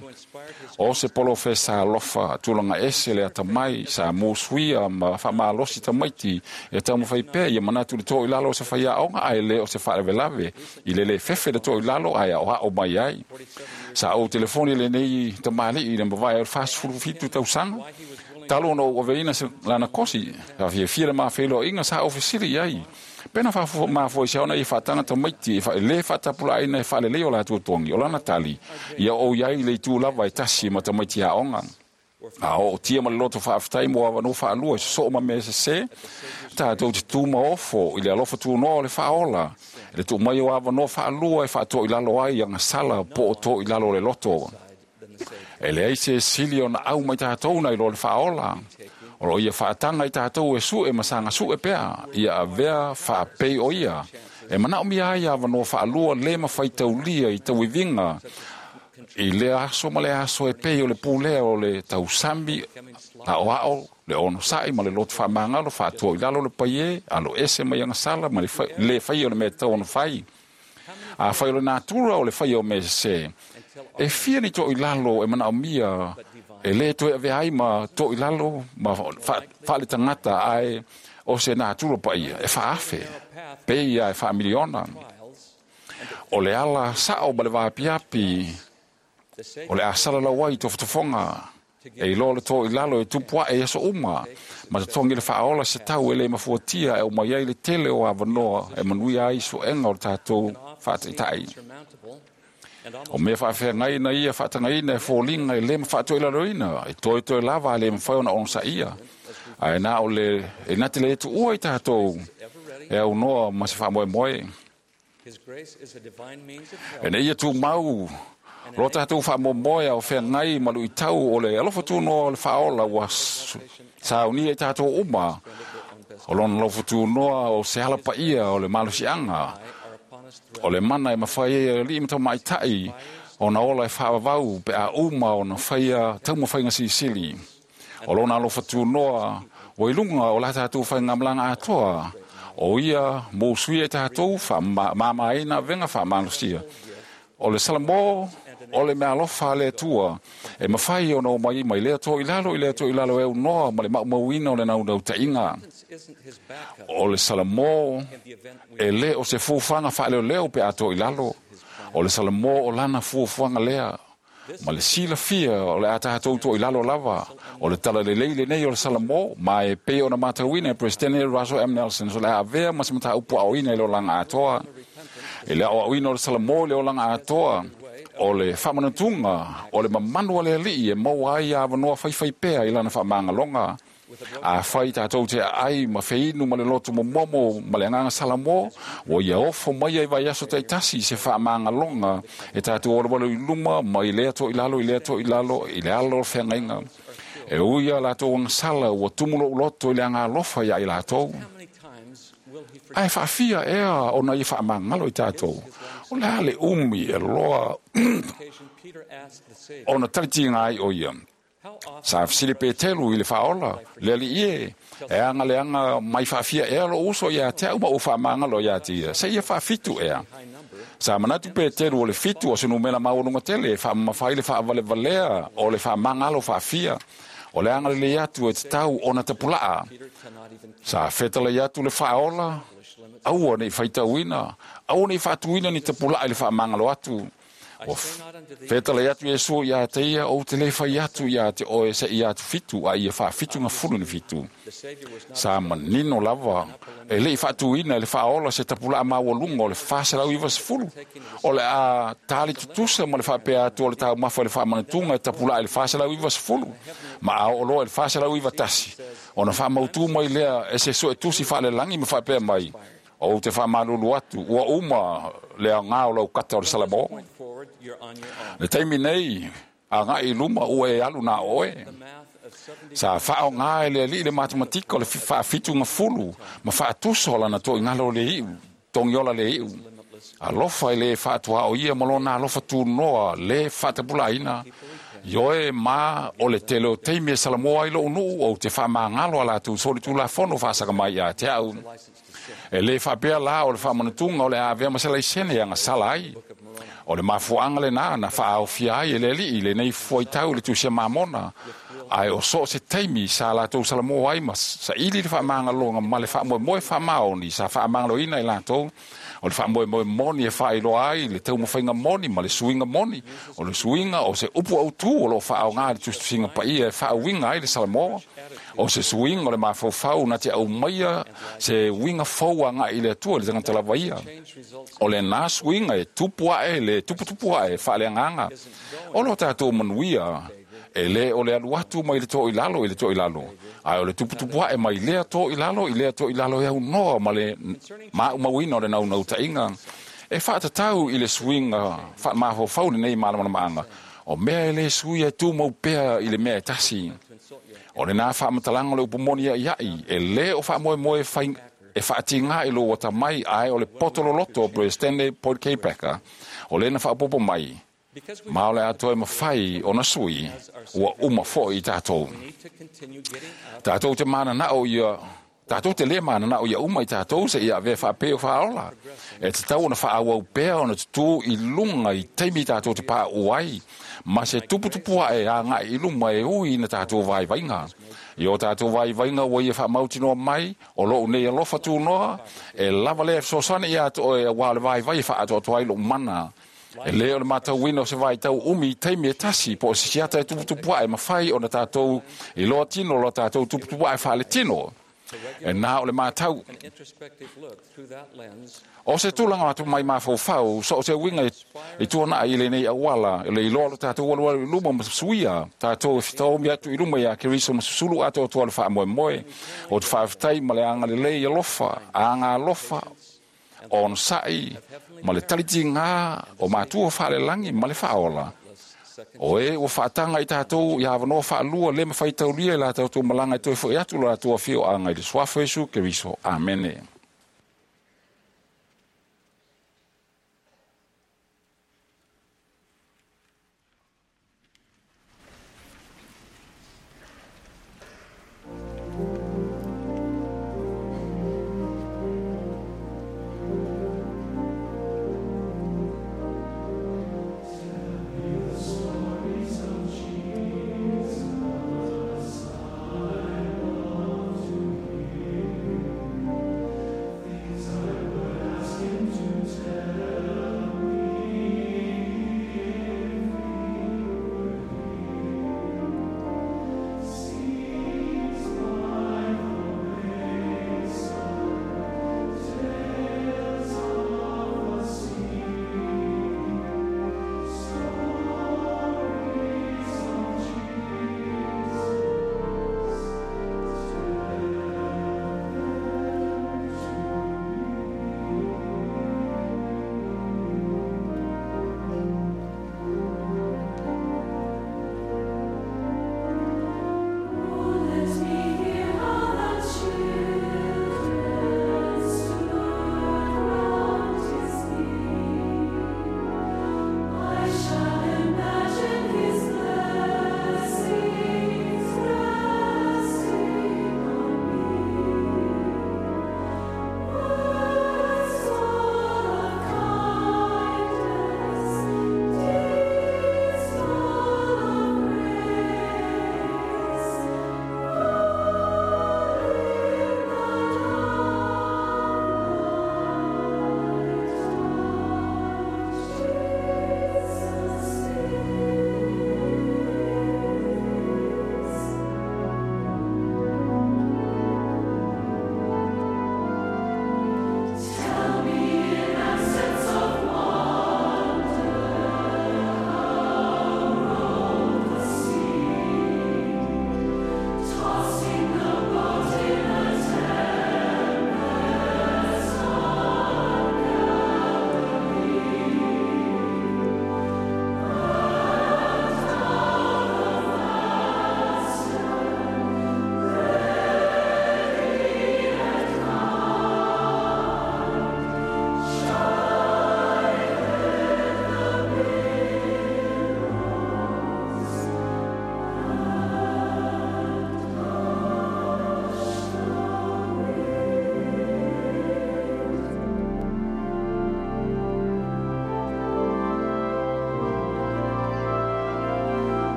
O se polofesa alofa tulaga ese le atamai sa musuia ma faamalosi tamaiti e taumafai pea ia manatu le toʻilalo o se faiaoga ae lē o se faalavelave i le lē fefe le toʻilalo ae aoao mai ai. Sa ou telefoni lenei tamaliʻi i le mavae o le fasefulu fitu tausaga talu ona ou aveina se lana kosi sa fiafia le mafeiloaiga sa ou fesili i ai. Pena mafoisia ona ia faataga tamaiti e lē faatapulaaina e faalelei o latou togi o lana tali ia ou iai le itu lava e tasi ma tamaiti aoga. A oo tia ma le loto faafetai mo avanoa faalua e sosoo ma mea sesē tatou te tu ma ofo i le alofa tunoa o le faaola e le tuumai o avanoa faalua e faatoʻilalo ai agasala po o toʻilalo o le loto. E leai se sili ona au mai tatou nai lo le faaola. O loo ia faataga i tatou e sue ma saga sue pea, ia avea faapei o ia. E manaomia ai avanoa faalua lē mafaitaulia i tauiviga i lea aso ma le aso e pei o le pulea o le tausami aoao le onosaʻi ma le loto faamagalo faatoa i lalo le paiē alo ese mai agasala ma le lē faia o le mea tatau ona fai. A fai o le natura o le faia o mea sesē, e fia ni toʻilalo e manaomia E le toe avea ai ma toʻilalo ma faaletagata ae o se natura paia e faaafe peia e faamiliona. O le ala saʻo ma le vapiapi o le asalalau ai tofotofoga e iloa le toʻilalo e tupu aʻe i aso uma ma totogi le faaola se tau e lē mafuatia e umai ai le tele o avanoa e manuia ai suʻega o le tatou faataʻitaʻi. O mea faafeagai na ia faatagaina e foliga e lē mafaatoilaloina e toetoe lava a lē mafai ona onosaʻia ae na o le e na te lē tuua i tatou e aunoa ma se faamoemoe. E nei ia tumau lo tatou faamoemoe ao feagai ma luʻitau o le alofa tunoa o le faaola ua saunia i tatou uma o lona laufutunoa o se ala paia o le malosiaga o le mana e mafai ai e alii ma tamaʻitaʻi ona ola e faavavau pe a uma ona faia taumafaiga silisili. O lona alofa tunoa ua i luga o la tatou faigamalaga atoa o ia mo usuia i tatou faamamaina avega faamalosia. O le Salamo o le meaalofa a le Atua e mafai ona omai mai lea toʻilalo i lea toʻilalo e aunoa ma le maʻumauina o le naunautai. O le Salamo e lē o se fuafuaga faaleoleo pe a toʻilalo. O le Salamo o lana fuafuaga lea ma le silafia o le a tatou toʻilalo lava. O le talalelei lenei o le Salamo ma e pei ona matauina e Peresetene Russell M. Nelson o le a avea ma se mataupu aoina i le olaga atoa. E le aoaoina o le Salamo i le olaga atoa o le faamanatuga o le mamanu a le alii e maua ai avanoa faifaipea i lana faamagaloga. Afai tatou te aai ma feinu ma le loto momomo ma le agaga Salamo ua ia ofo mai ai vaiaso taitasi se faamagaloga e tatou olowalo i luma mai lea toʻilalo i lea toʻilalo i le ala o le feagaiga. E ui a latou agasala ua tumu loʻu loto i le agalofa iā i latou. Ae faafia ea ona ia faamagalo i tatou. O le a le umi e loa ona talitiga ai o ia. Sa fesili Petelu i le faaola le alii e e aga leaga mai faafia ea lou uso iā te au ma ou faamagalo iā te ia seia faafitu ea. Sa manatu Petelu o le fitu o se numera maualuga tele e faamamafa ai le faavalevalea o le faamagalo faafia. O le aga lelei atu e tatau ona tapulaa. Sa fetalai atu le faaola aua nei faitauina, aua nei faatuina ni tapulaa i le faamagalo atu. Ua fetalai atu Iesu iā te ia ou te lē fai atu iā te oe seia atu fitu a ia faafitu gafulu ni fitu. Sa manino lava e leʻi faatuina e le faaola se tapulaa maualuga o le faselau ivasefulu. O le a tali tutusa ma le faapea atu o le taumafa i le faamanatuga e tapulaa i le faselau ivasefulu ma a oo loa i le faselau ivatasi ona faamautū mai lea e se suetusi faalelagi ma faapea mai ou te faamalulu atu ua uma le aogā o lau kata o le Salamo. Le taimi nei agaʻi i luma ua e alu na oe. Sa faaogā e le alii le matematika o le faafitu gafulu ma faatusa o lana toʻigalo le iʻu togiola le iʻu. Alofa e lē faatuaʻo ia ma lona alofa tunoa lē faatapulāina. Ioe ma o le tele o taimi e Salamoa ai loʻu nuu ou te faamagalo a latou solitulafono faasaga mai iā te au. E lē faapea la o le faamanatuga o le a avea ma se laisene e agasala ai. O le mafuaʻaga lenā na faaaofia ai e le alii lenei fuaitau i le tusia mamona. Ae o soo se taimi sa latou Salamo ai ma saʻili le faamagaloga ma le faamoemoe faamaoni sa faamagaloina i latou. O le faamoemoe moni e faailoa ai le taumafaiga moni ma le suiga moni. O le suiga o se upu autū o loo faaogā i le tusitusiga paia e faauiga ai le Salamo. O se suiga o le mafaufau na te aumaia se uiga fou agaʻi i le Atua i le tagata lava ia. O lenā suiga e tupu aʻe le tuputupu aʻe faaleagaga. O lo tatou manuia e lē o le alu atu mai le toʻilalo i le toʻilalo ae o le tuputupu aʻe mai lea toʻilalo i lea toʻilalo e aunoa ma le maʻumauina o le naunautaiga. E faatatau i le suiga faamafaufau lenei malamalamaaga. O mea e lē sui e tumau pea i le mea e tasi. O lenā faamatalaga o le upu moni aʻiaʻi e lē o faamoemoe fai e faatigā i lou atamai ae o le poto loloto o Peresetene Boyd K. Packer o lena faapopo mai ma o le atoa e mafai ona sui ua uma foʻi i tatou. Tatou te mananaʻo ia Tātou te le mana o ia uma i tātou se ia ve whaapeo whaola. E te tau ona whaawau pea ona tutu i lunga i taimi tātou te pā uai. Ma se tuputupu e a ngā i luma e ui na tātou vai vainga. I o tātou vai vainga ua ia whaamautinoa mai, o lou nei alofa tūnoa, e lava lea sosane ia ato e wā le vai vai whaatoatoa i lo mana. E leo le matauina o se vai tau umi i taimi e tasi, po o se siata e tuputupu e mawhai o na tātou i loa tino, loa tātou tuputupu e whaale tino. E nā o le mātau. O se tūlanga atu mai mawhauwhau, so o se winga i tuana i le nei awala, le iloa lo tātou walu walu i luma ma suia, tātou e whitaomi atu i luma ia Keriso ma susulu atu o tua le wha moe moe, o te whaaftai ma le anga le lei alofa, anga alofa, o on sai, ma le taliti ngā, o mātua whaale langi ma le whaola. O e ua whaatanga i tātou i awanoa whaalua le mawhai taulia i la tātou malanga i toi fo i atu la tua whio anga i le suafo Yesu Keriso. Amene.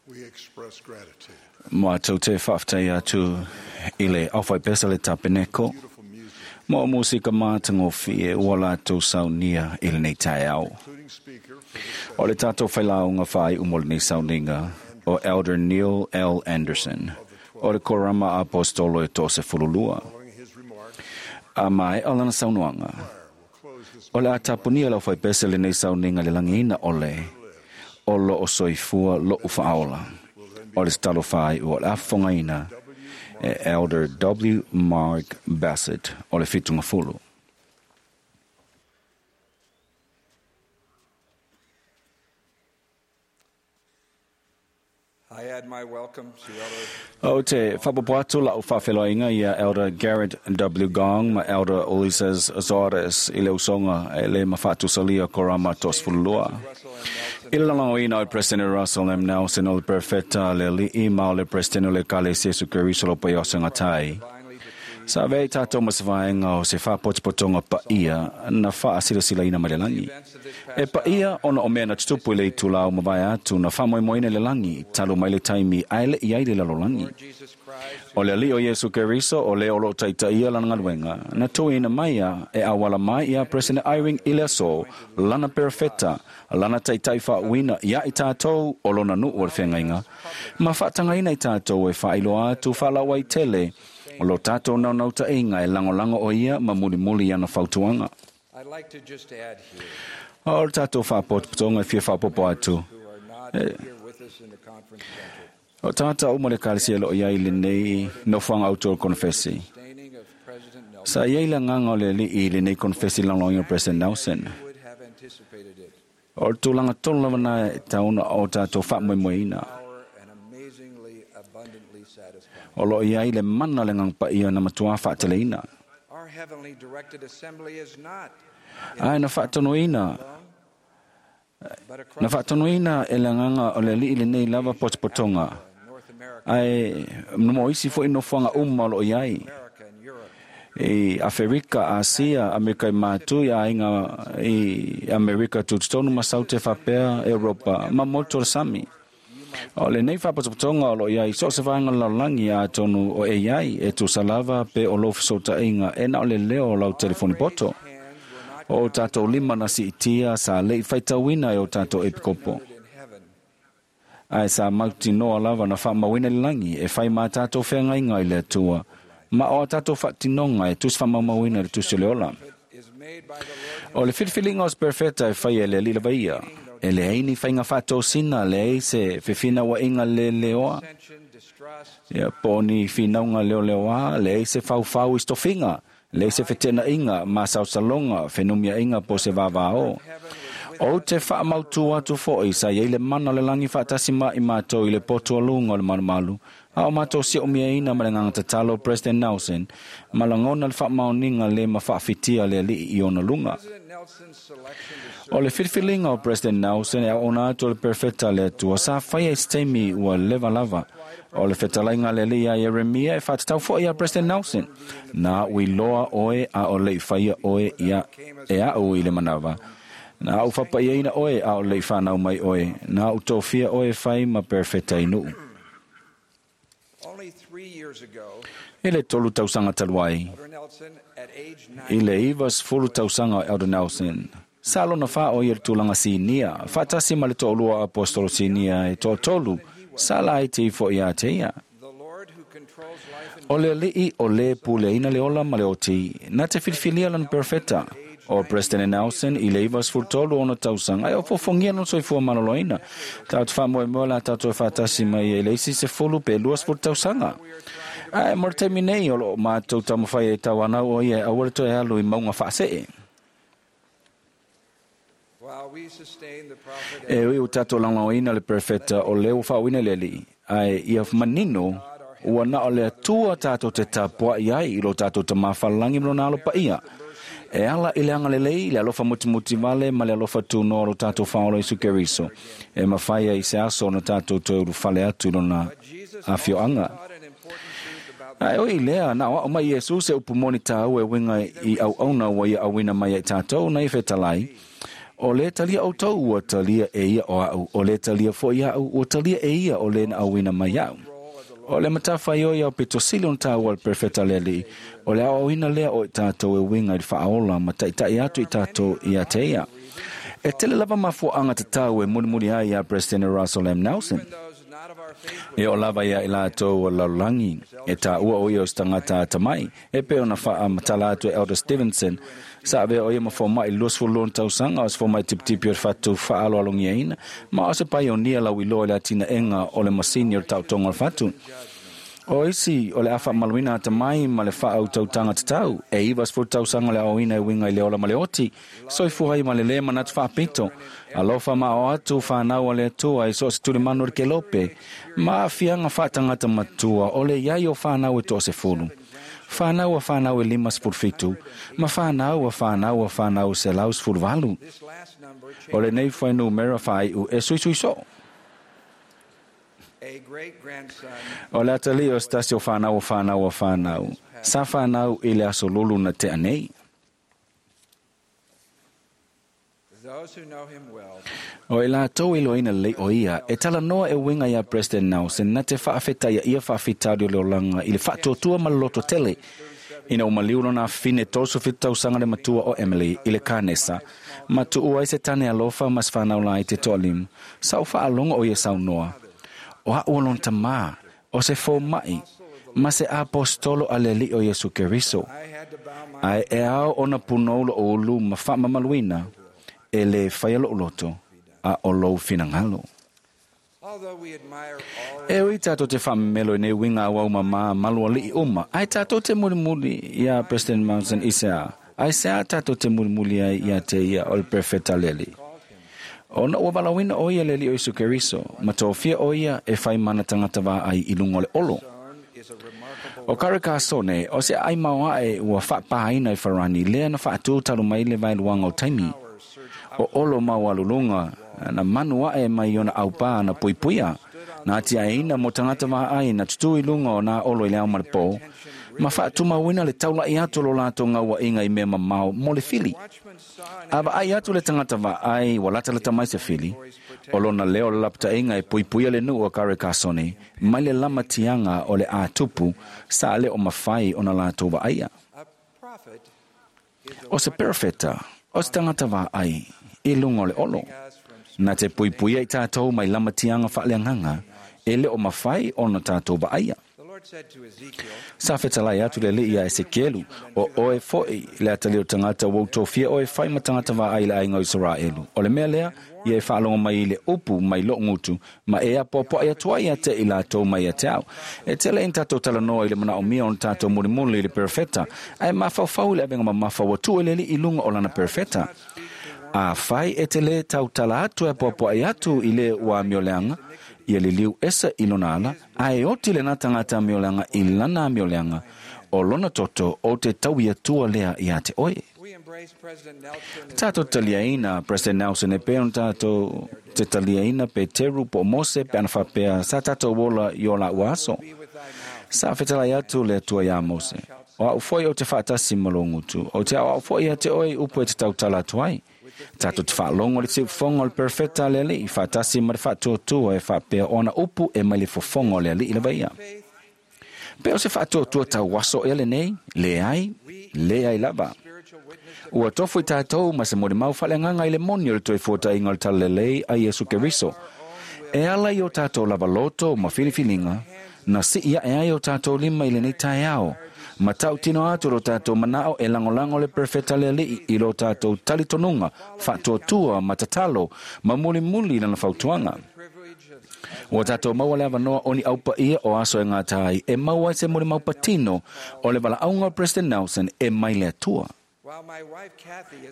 We express gratitude. Mātou te whaaftai atu i le awhai pesa le tapeneko. Mo musika mātangōfi e ua lātou saunia i lenei taeao. Including speaker for this O le tātou whailaunga whai umo lenei sauninga o Elder Neil L. Anderson o le Korama Apostolo e tō se fululua. following his remarks, A mai o lana saunoanga. will close this O le atapunia lau whai pesa lenei sauninga le langiina o le o lo o soifua lo u whaaola. O le stalo whai o le afongaina e Elder W. Mark Bassett o le fitunga fulu. I add my welcome to Elder O te whapapoatu la o whawheloinga ia Elder Garrett W. Gong ma Elder Ulises Zores i le usonga e le mawhatusalia korama tos fululua. Russell M. Nelson, I le langoina o President Russell M. Nelson o le perfeta le li'i ma o le President o le kale Jesu Keriso lo pai o sengatai. divinely decreed Sa vei tātou masavaenga o se whapotipotonga pa ia na wha asila ina mai le langi. E pa ia ona o mea na tutupu i le itulau mawai atu na whamoemoeina le langi, talo mai le taimi aele i ai le lalolangi. Jesus Christ, O le ali o Yesu Keriso o le olo taita ia lana ngaluenga, na tuina mai ia e awala mai ia President Eyring i le aso, lana perfeta, lana taitai whaawina ia i tātou o lona nuu o le whengainga. Ma whaatangaina i tātou e whailoa atu whalawa i tele, o lo tātou nau nau ta inga e langolango o ia ma muli muli ana fautuanga. I'd like to just add here O le tātou whaapotopotonga e fia whaapopo atu. who are not here with us in the conference center. O tātou mo le kalisia lo ia i le nei nofuanga auto o konfesi. Sustaining of President Nelson Sa ia ila nganga o le li i le nei konfesi langolongi o President Nelson. would have anticipated it. O le tūlanga tonu lava na e tauna o tātou whaamoemoeina. Power and amazingly abundantly satisfying. O lo ia i le mana le ngang pa ia na matua whaateleina. Our heavenly directed assembly is not Ai na whaatonuina, but na across whaatonuina e le nganga o le li i le nei lava potopotonga. North America, Ai no isi fo ino fuanga uma o lo iai. America and Europe. I Aferika, Asia, Amerika i Mātu, i ainga i Amerika tututonu ma Saute Whapea, Europa, ma moto le sami. O le nei whapotopotonga o lo iai, so se vaenga lalongi a tonu o E I e tusalava pe o lofu sota inga e na o le leo o lau telefoni poto. Hands were not O tātou lima na si itia sa lei whaitauina e o tātou epikopo. in heaven. Ai sa mauti noa lava na whaamawina le langi e whai mā tātou whengainga i le atua. Ma o tātou whaatinonga e tusi whamamawina le tusi o le ola. Is made by the Lord O le whiliwhilinga o se perfeta e whai e le lila vaia. E le eini whainga whaatosina le ei se whiwhina wa inga le leoa. ascension, distrust, Ia poni whinaunga leo leoa le ei se whauwhau i stofinga. Le ei se whetena inga ma sausalonga whenumia inga po se vavao. O te whaamautu atu foi sa iei le mana o le langi whaatasi ma i mātou i le potu alunga o le malumalu. A o mātou si o mia ina ma le nganga tatalo President Nelson, ma langona le whaamaoninga le ma whaafitia le alii i ona lunga. President Nelson's selection to serve O le whiliwhilinga o President Nelson e a ona atu o le perfecta le atua sa whaia i steimi ua leva lava. O le whetalainga le lia Jeremia e whatatau foi a President Nelson. Nā uiloa oe a o lei whaia oe ia e a o i le manawa. Nā u whapaiaina oe a o lei whanau mai oe. Nā u tōfia oe whai ma perfecta inuu. only three years ago, I le tolu tausanga taluai. Elder Nelson, at age I nine, le iwa sefulu tausaga o Elder Nelson. Sa lona wha o ia le tulaga sinia, whaatasi ma le to'olua apostolo sinia e to'atolu, sa la ai te ifo ia te ia. the Lord who controls life and O le alii o le puleina le ola ma le oti, na te filifilia lana perfeta. O President Nelson i le iwa sefulu tolu ona tausaga, ai o fofogia lona soifua maloloina. Tātou whaamoemoe la tātou e whaatasi mai e le isi sefulu pe lua sefulu tausaga. Ai, mo le taimi nei o loo mātou taumafai e tauanau o ia e aua le toe alu i maunga faasee. while we sustain the prophet E ui o tātou langauina le perfecta o leo whaawina le alii. Ai ia manino ua na o le atua tātou te tapua i ai i lo tātou te mawhalangi mlo nā alo pa ia. E ala i le anga lelei, le alofa mutimuti vale ma le alofa tūnoa lo tātou whaolo Isu Keriso. E mawhaia i se aso na tātou te uru whale atu lona Jesus awhioanga. taught an important truth about Ai oi lea, na o mai Iesu se upu moni tāu e winga i au auna wa ia awina mai ai tātou na i whetalai. O le talia o tau ua talia e ia o au, o le talia fo ia au, ua talia e ia o le na auina mai au. O le matawhai o iau pito sili on tā wal perfecta le li, o le auina lea o i tātou e winga i whaola ma taitai atu i tātou i a te ia. E tele lava mafuaanga te tau e mulimuli ai ia President Russell M. Nelson. E o lava ia i lātou o lalulangi, e tā ua o ia o stangata atamai, e pe ona whaa matala atu e Elder Stevenson, sa avea o ia mafo mai luasfulu tausaga o se fomai tipitipi o le fatu faaaloalogiaina ma o se paionia lauiloa i le atinaega o le masini o le taotoga o le fatu. O isi o le afaamaluina atamai ma le faautautaga tatau e iva sefulu tausaga le aoina e uiga i le ola ma le oti soifua ai ma le lē manatu faapito alofa ma o atu whanau a le atua i so se tulimanu o le kelope ma afiaga faatagata matua o le iai o whanau e toasefulu. Whanau a whanau e lima sefulu fitu, ma whanau a whanau a whanau se lau sefulu valu. O le nei whainu mera whaiu e suisui so. O le atali o stasi o whanau o whanau o whanau. Sa whanau i le aso lulu na te anei. O i lātou i loina lei o ia, e tala noa e winga ia President Nelson na te whaafeta ia ia whaafitari o le olanga i le whaatuatua ma le loto tele. Ina o maliu lona fine toso fitau sanga le matua o Emily i le kānesa, ma tuua i se tane alofa mas whanau lai te toalimu, sa o whaalonga o ia saunoa. O a ualon tamā, o se fō mai, ma se apostolo a le li o Yesu Keriso. Ai e ao ona punoulo o ulu ma whaamamaluina, e le whaia lo loto a o lou finangalo. E ui tātou te whamelo i nei winga au au mama maluali'i uma, ai tātou te mulimuli ia President Monson i sea, ai sea tātou te mulimuli ai ia te ia o le perfecta leli. O na ua walawina o ia leli o Isu Keriso, ma tōfia o ia e whai mana tangata wā ai i lunga o le olo. O Karikasone, o se ai maua e ua whapahaina i wharani, lea na whaatū talu mai le vailuanga o taimi. O olo mau alulunga, na manu ae mai ona aupā na puipuia, na atia eina mo tangata wā ai na tutu i lunga o nā olo i le au maripō, ma whaatumauina le taulai atu lo lātou ngaua inga i mea mamao mo le fili. A ai atu le tangata wā ai wa latalata mai se fili, o lona leo le lapta inga e puipuia le nuu o Karikasone, mai le lama tianga o le ātupu, sa le o mawhai o na lātou wa aia. O se perfeta, o se tangata wā ai, i lunga o le olo. Nā te puipuia i tātou mai lama tianga whaaleanganga, e le o mawhai o na tātou wa aia. Sa whetalai atu le li ia Ezekielu, o oe foi le atali o tangata wau tōfia oe whai ma tangata wā ai le ainga o Israelu. O le mea lea, ia e whaalonga mai i le upu mai lo ngutu, ma e a poapoa ia tua ia te i lātou mai ia te au. E tele in tātou talanoa i le mana o mia o tātou mulimuli i le perfecta, ae mawhauwhau le awenga mamawha watu e leli i lunga o lana perfecta. A whai e te le tautala atu e poapoa i atu i le ua mioleanga, ia le liu esa i lona ala, a e oti le nā tangata mioleanga i lana mioleanga, o lona toto o te tau ia tua lea ia te oe. Tātou taliaina, President Nelson, e peon tātou te taliaina pe teru po Mose pe anawhapea sa tātou wola i o la uaso. Sa whetalai atu le atua ia Mose. O au foi o te whaatasi malongutu, o te au au foi a te oe upu e te tautala atu ai. Tātou te whaalongo le te ufongo le perfecta le ali, i whaatasi ma le whaatuatua e whaapea ona upu e mai le fofongo le ali i le vaia. Pe o se whaatuatua tau waso e le nei, le ai, le ai lava. Ua tofu i tātou ma se more mau whaleanganga i le moni o le toi fuata inga o le talalelei a Yesu Keriso. E ala i o tātou lava loto ma filifilinga, na si ia e ai o tātou lima i le nei taeao. Ma tau tino atu lo tātou manao e langolango le perfecta le alii i lo tātou talitonunga, whaatuatua, matatalo, ma muli muli lana fautuanga. Ua tātou maua le avanoa oni aupa ia o aso e ngā tai e maua i se muri maupatino o le valaauga o President Nelson e mai le atua.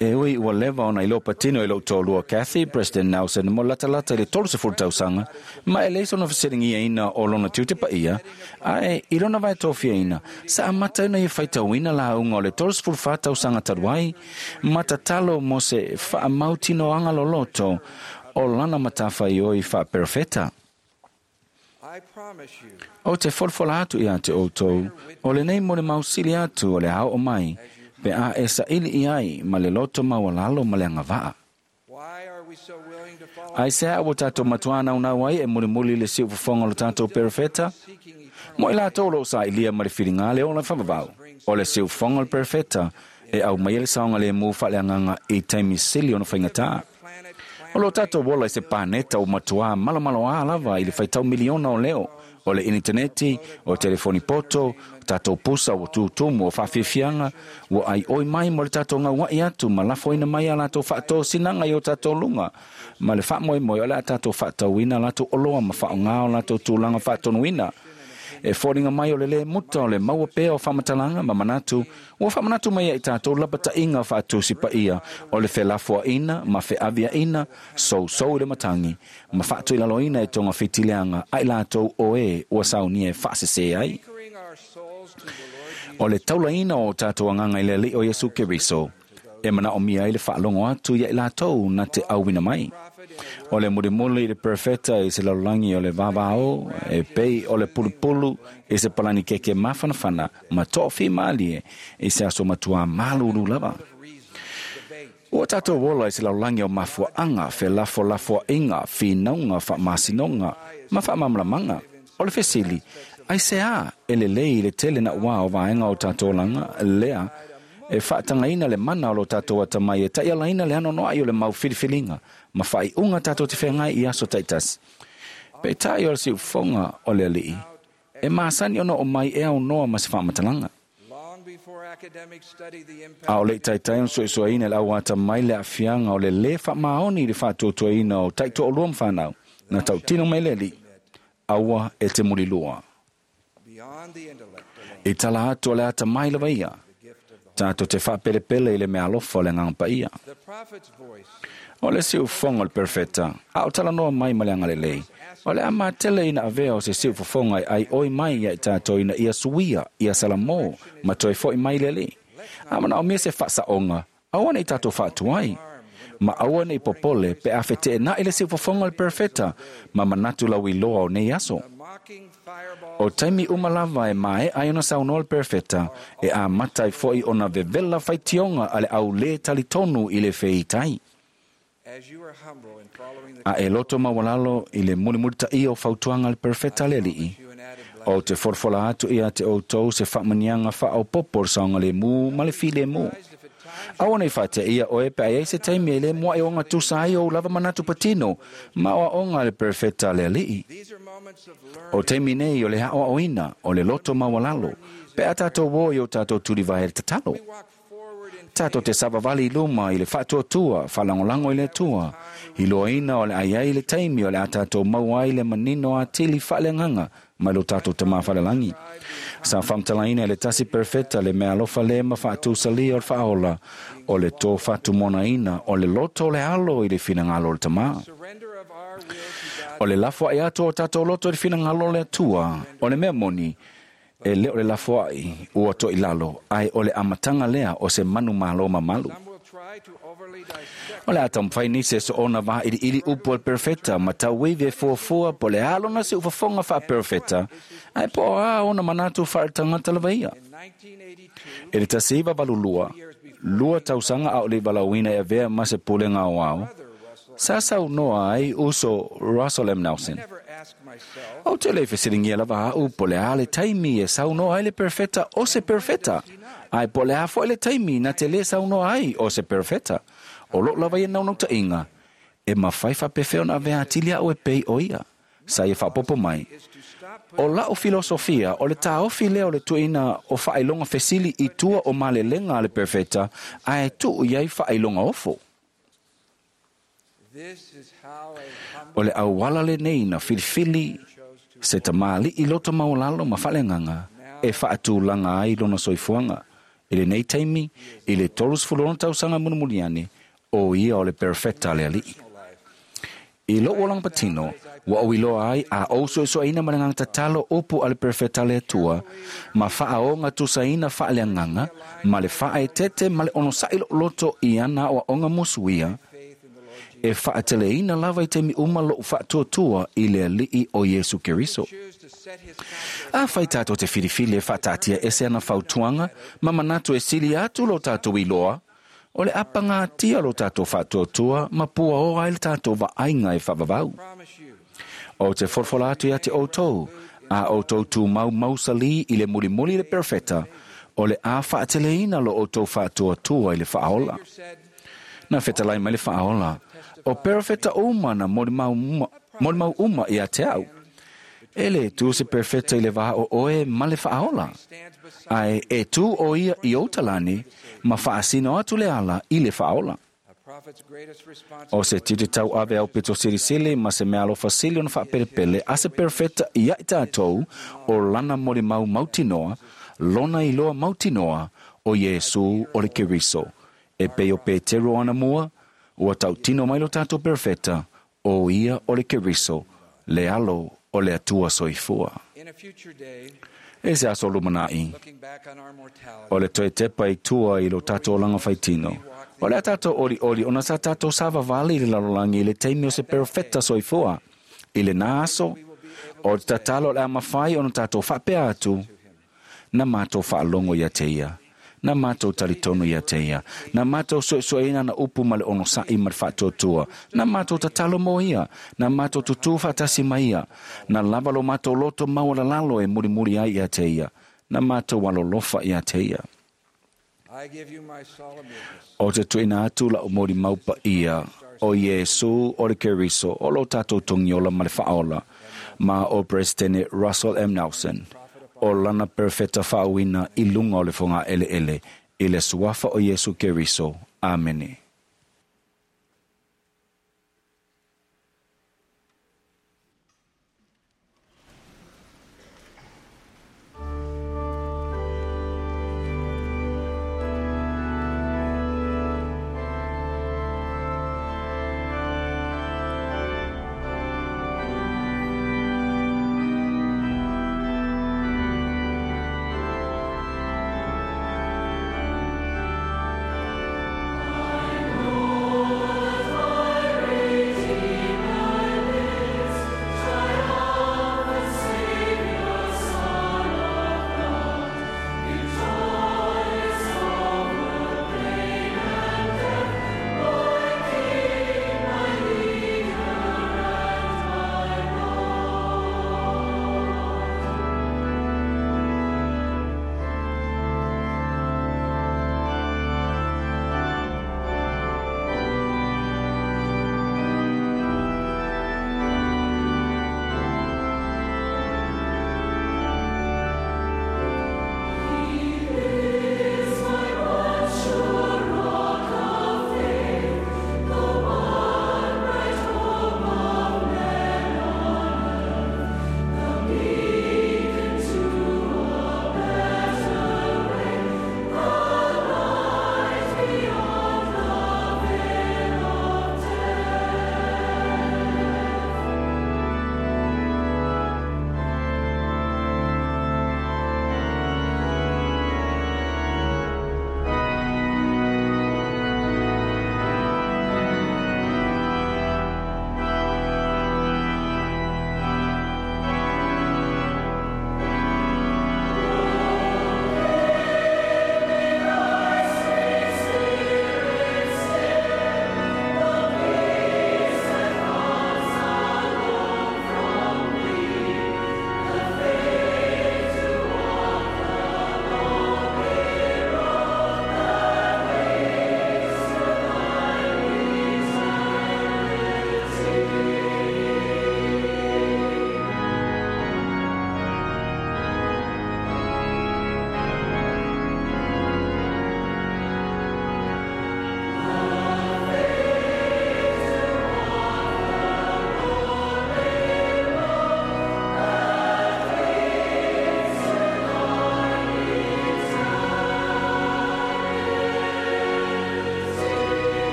E ui ua leva ona i lo patino i lo tōlua Kathy, President Nelson mo latalata i le tolu sefulu tausaga, ma e leisa ona fesiligia ina o lona tiute paia, ae i lona vaetofia ina, sa amata ina ia faitauina lauga o le tolu sefulu whā tausaga talu ai, ma tatalo mo se faamautinoaga loloto o lana matawhaioi faaperofeta. O te folafola atu ia te outou, o lenei mo le mausili atu o le ao o mai, pe a e saili i ai ma le loto maualalo ma le agavaa. Ai se a ua tātou matuana unau ai e mulimuli le siufofoga o le tātou perofeta? Mo i latou o loo saʻilia ma le filiga le ola faavavau. O le siufofoga o le perofeta e au mai le saoga lemu faaleagaga i taimi sili ona faigatā. O lo tātou ola i se paneta o matuā malomaloā lava i le faitau miliona o leo, o le initaneti, o telefoni poto, o tātou pusa ua tūtumu o whawhiwhianga, ua ai oi mai mo le tātou ngauai atu, ma lafoina mai a latou whaatōsinaga i o tātou lunga, ma le whaamoemoe o le a tātou whaatauina latou oloa ma whaongā o latou tūlanga whaatonuina. E fōringa mai o le le muta o le maua pea o whamatalanga ma manatu, ua whamanatu mai ai tātou lapatainga whaatusi pa ia o le whelafoaina ma wheaviaina sousou i le matangi, ma whaatuilaloina e tonga fitileanga ai lātou o e ua saunia e whaasese ai. O le taulaina o tātou anganga i le alii o Iesu Keriso, e mana o mia i le whaalongo atu ia i lātou na te auina mai. O le mulimuli i le perfeta i se lalolagi o le vavao, e pei o le pulupulu i se palani keke mafanafana ma toʻafi malie i se aso matuā malulu lava. Ua tātou ola i se lalolagi o mafuaʻaga felafolafoaʻiga finauga faamasinoga ma faamalamalamaga. O le fesili, ai se a e lelei i le tele na uā o vaega o tātou olaga lea e faatagaina le mana o lo tātou atamai e taʻialaina le anoanoaʻi o le mau filifiliga ma faaiuga tātou te feagai i aso taitasi. Peitai o le siufoga o le alii e masani ona o mai e aunoa ma se faamatalaga. A o le taitai ona suesueina le au atamai le aafiaga o le lē faamaoni i le faatuatuaina o taitoalua ma fanau na tautino mai le alii aua e te mulilua. I tala atu o le atamai lava ia tātou te whaapelepele i le mea alofa o le agaga paia. O le siufofoga o le perfeta, a o talanoa mai ma le agalelei. O le a matele ina avea o se siufofoga e ai oi mai ia i tātou ina ia suia, ia salamō, ma toe foʻi mai le alii. A manaomia se faasaoga, aua nei tātou faatuai. Ma aua nei popole pe a feteenaʻi le siufofoga o le perfeta, ma manatu lauiloa o nei aso. O taimi uma lava e mae ai ona saunoa le perfeta, e a matai foʻi ona vevela faitioga a le aulē talitonu i le feitai. A e loto maualalo i le mulimulitaʻia o fautuaga le perfeta le alii, o te folafola atu ia te outou se faamaniaga faaopopo o le saogalēmū ma le filēmū. Aua nei faateia oe pe ai se taimi e lē moaʻi o gatusa ai ou lava manatu patino ma oaoga le perfeta le alii. O taimi nei o le aʻoaʻoina o le loto maualalo pe a tātou o i o tātou tulivae le tatalo. Tātou te savavali i luma i le faatuatua faalagolago i le Atua, iloaina o le aiai le taimi o le a tātou maua ai le manino atili faaleagaga mai lo tātou tamā falelagi. Sa faamatalaina e le tasi perfeta le mea alofa le ma faatusalia o le faaola, o le tō fatumonaina o le loto o le alo i le finagalo o le tamā. O le lafoaʻi atu o tātou loto i le finagalo o le Atua, o le mea moni, e le o le lafoaʻi ua toʻilalo, ae o le amataga lea o se manu mālō mamalu. O le a taumafai nisi e soona vailiili upu o le perfeta ma tauivi e fuafua po le alo na siufofoga faaperofeta, ae po o a ona manatu faaletagata lava ia. E le tasi iva valu lua, lua tausaga a o le valauina e avea ma se pulega aoao, sa saunoa ai uso Russell M. Nelson. O te le fesiligia lava a'u po le a le taimi e saunoa ai le perfeta o se perfeta, ae po le a foʻi le taimi na te lē saunoa ai o se perfeta. O loo lava ia naunautaiga, e mafai faapefea ona avea atili a'u e pei o ia. Sa ia faapopo mai. O la'u filosofia o le taofi lea o le tuuina o faailoga fesili i tua o malelega a le perfeta, ae tuu i ai faailoga ofo. O le auala lenei na filifili se tamāliʻi loto maualalo ma faaleagaga e faatulaga ai lona soifuaga. I lenei taimi, i le tolusefulu tausaga mulimuli ane, o ia o le perfeta le alii. I lou olaga patino, ua ou iloa ai a ou suesueina ma le agaga tatalo upu a le perfeta le Atua, ma faaoga tusaina faaleagaga, ma le faaetete ma le onosaʻi loʻoloto i ana aoaoga musuia, e faateleina lava i taimi uma lou faatuatua i le alii o Iesu Keriso. A fai tātou te filifili e faataatia ese ana fautuaga ma manatu e sili atu lo tātou iloa, O le apagatia lo tātou whaatuatua ma pua oa i le tātou vaaiga e faavavau. O te folafola atu ia te outou, a outou tumau mausali i le mulimuli le perofeta, o le a faateleina lo outou faatuatua i le faaola. Na fetalai mai le faaola, o perofeta uma na molimau uma, uma ia te au. E le tu se perfeta i le vā o oe ma le faaola. Ae e tu o ia i outalani ma faasino atu le ala i le faaola. O se titi tau ave au pito silisili ma se mea alofa sili ona faapelepele a se perfeta ia i tātou o lana molimau mautinoa, lona iloa mautinoa o Iesu o le Keriso. E pei o Petero ana mua, ua tautino mai lo tātou perfeta o ia o le Keriso, le alo o le Atua soifua. E se aso lumanai, o le toe tepa i tua i lo tātou olanga faitino. O le a tātou oli oli, ona sa tātou savavali i le lalolagi i le taimi o se perofeta soifua. I le nā aso, o te tatalo o le a mafai ona tātou faapea atu, na mātou faalogo ia te ia, na mātou talitonu ia te ia, na mātou soesoeina na upu ma le onosa'i ma le faatuatua, na mātou tatalo mo ia, na mātou tutū faatasi ma ia, na lava lo mātou loto maualalalo e mulimuli ai ia te ia, na mātou alolofa ia te ia. O te tuina atu la o mori maupa ia, o Iesu o le Keriso, o lo tātou togiola ma le faaola, ma o Presidente Russell M. Nelson, o lana perfeta faauina i luga o le foga eleele, i le suafa o Iesu Keriso. Amene. I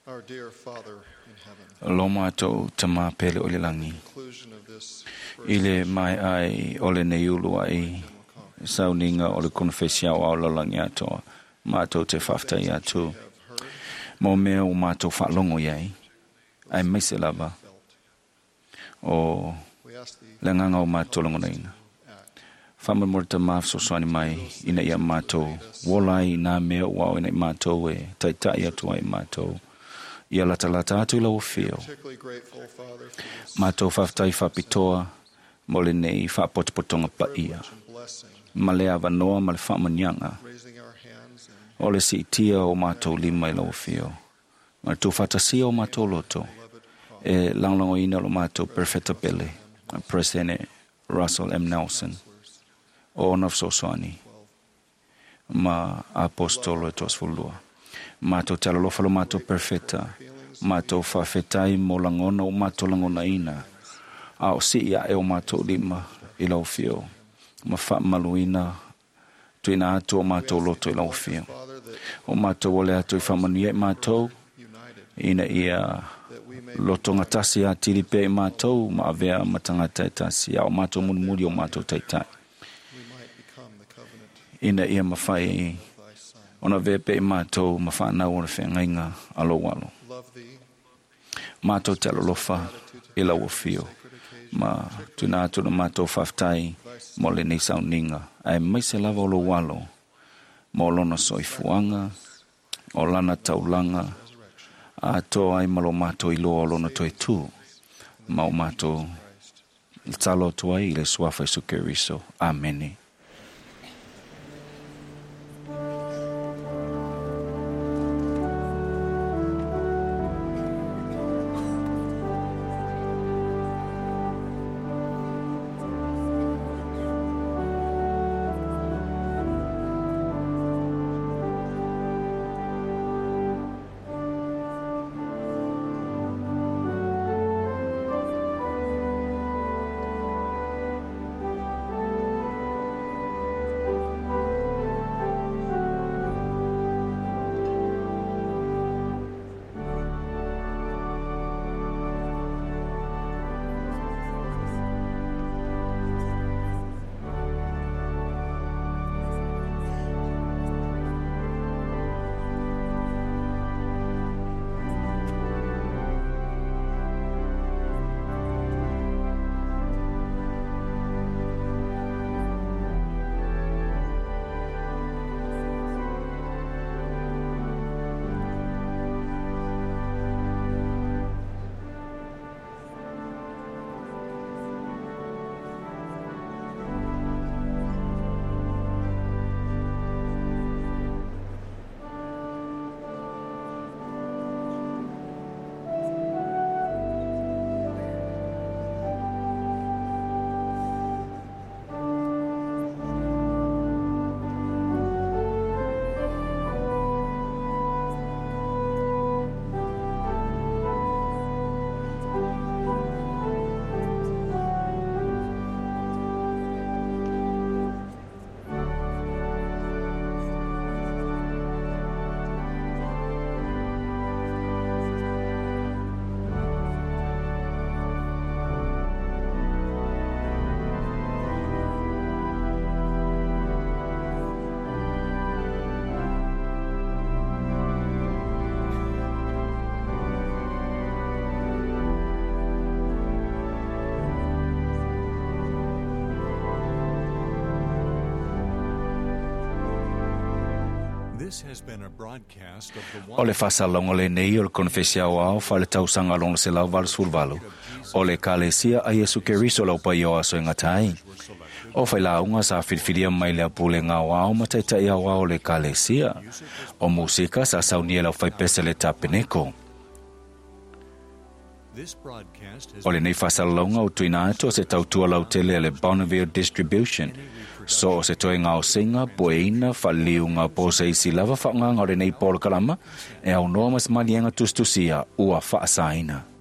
Our dear Father in heaven, Lo mātou tamā pele o le langi. conclusion of this I le mai ai o le nei ulu ai sauniga o le konofesi aoao lalolagi atoa. Mātou te faafetai atu mo mea ua mātou faalogo i ai, aemaise lava o we ask thee le agaga o mātou lagonaina. Faamolemole tamā fesoasoani mai ina ia mātou ola ai i nā mea ua ao ina i mātou e taita'i atu ai mātou ia latalata atu i lau afio. particularly grateful, Father, for this Mātou faafetai faapitoa mo lenei faapotopotoga paia privilege and blessing, ma le avanoa ma le faamanuiaga raising our hands and o le siitia o mātou lima i lau afio ma le tuufaatasia o mātou loto e lagolagoina o lo mātou perfeta pele President Russell M. Nelson o ona fesoasoani ma apostolo e toasefululua. Mātou te alolofa lo mātou perfeta, mātou faafetai mo lagona o mātou lagonaina, a o sii aʻe o mātou lima i lau afio, ma faamaluina tuuina atu o mātou loto i lau afio. Father, that O mātou o le atu i faamanuia i mātou, united, ina ia that we may lotoga tasi atili pea i mātou ma avea ma tagata e tasi, a o mātou mulimuli o mātou taitai. we might become the covenant Ina ia mafai of thy Son. ona avea pea i mātou ma whaanau o le feagaiga a lou alo. Love thee, Mātou te alolofa i lau afio, ma tuuina atu le mātou faafetai mo lenei sauniga, aemaise lava o lou alo, mo lona soifuaga, o lana taulaga, atoa ai ma lo mātou iloa o lona toe tū, ma o mātou talo atu ai i le suafa Iesu Keriso. Amene. This has been a broadcast of the O le faasalauga lenei o le konofesi aoao faaletausaga lona selau valosefuluvalu o le Ekalesia a Iesu Keriso lau paia o aso e gata ai. O failauga sa filifilia mai le apulega aoao ma taita'i aoao o le Ekalesia. O musika sa saunia e lau faipese le tapeneko. This broadcast has O lenei faasalalauga o tuuina atu o se tautua lautele a le Bonneville Distribution. So o se toega gaosiga, pueina, faaliliuga po o se isi lava faaaogaga o lenei polokalama e aunoa ma se maliega tusitusia ua faasaina.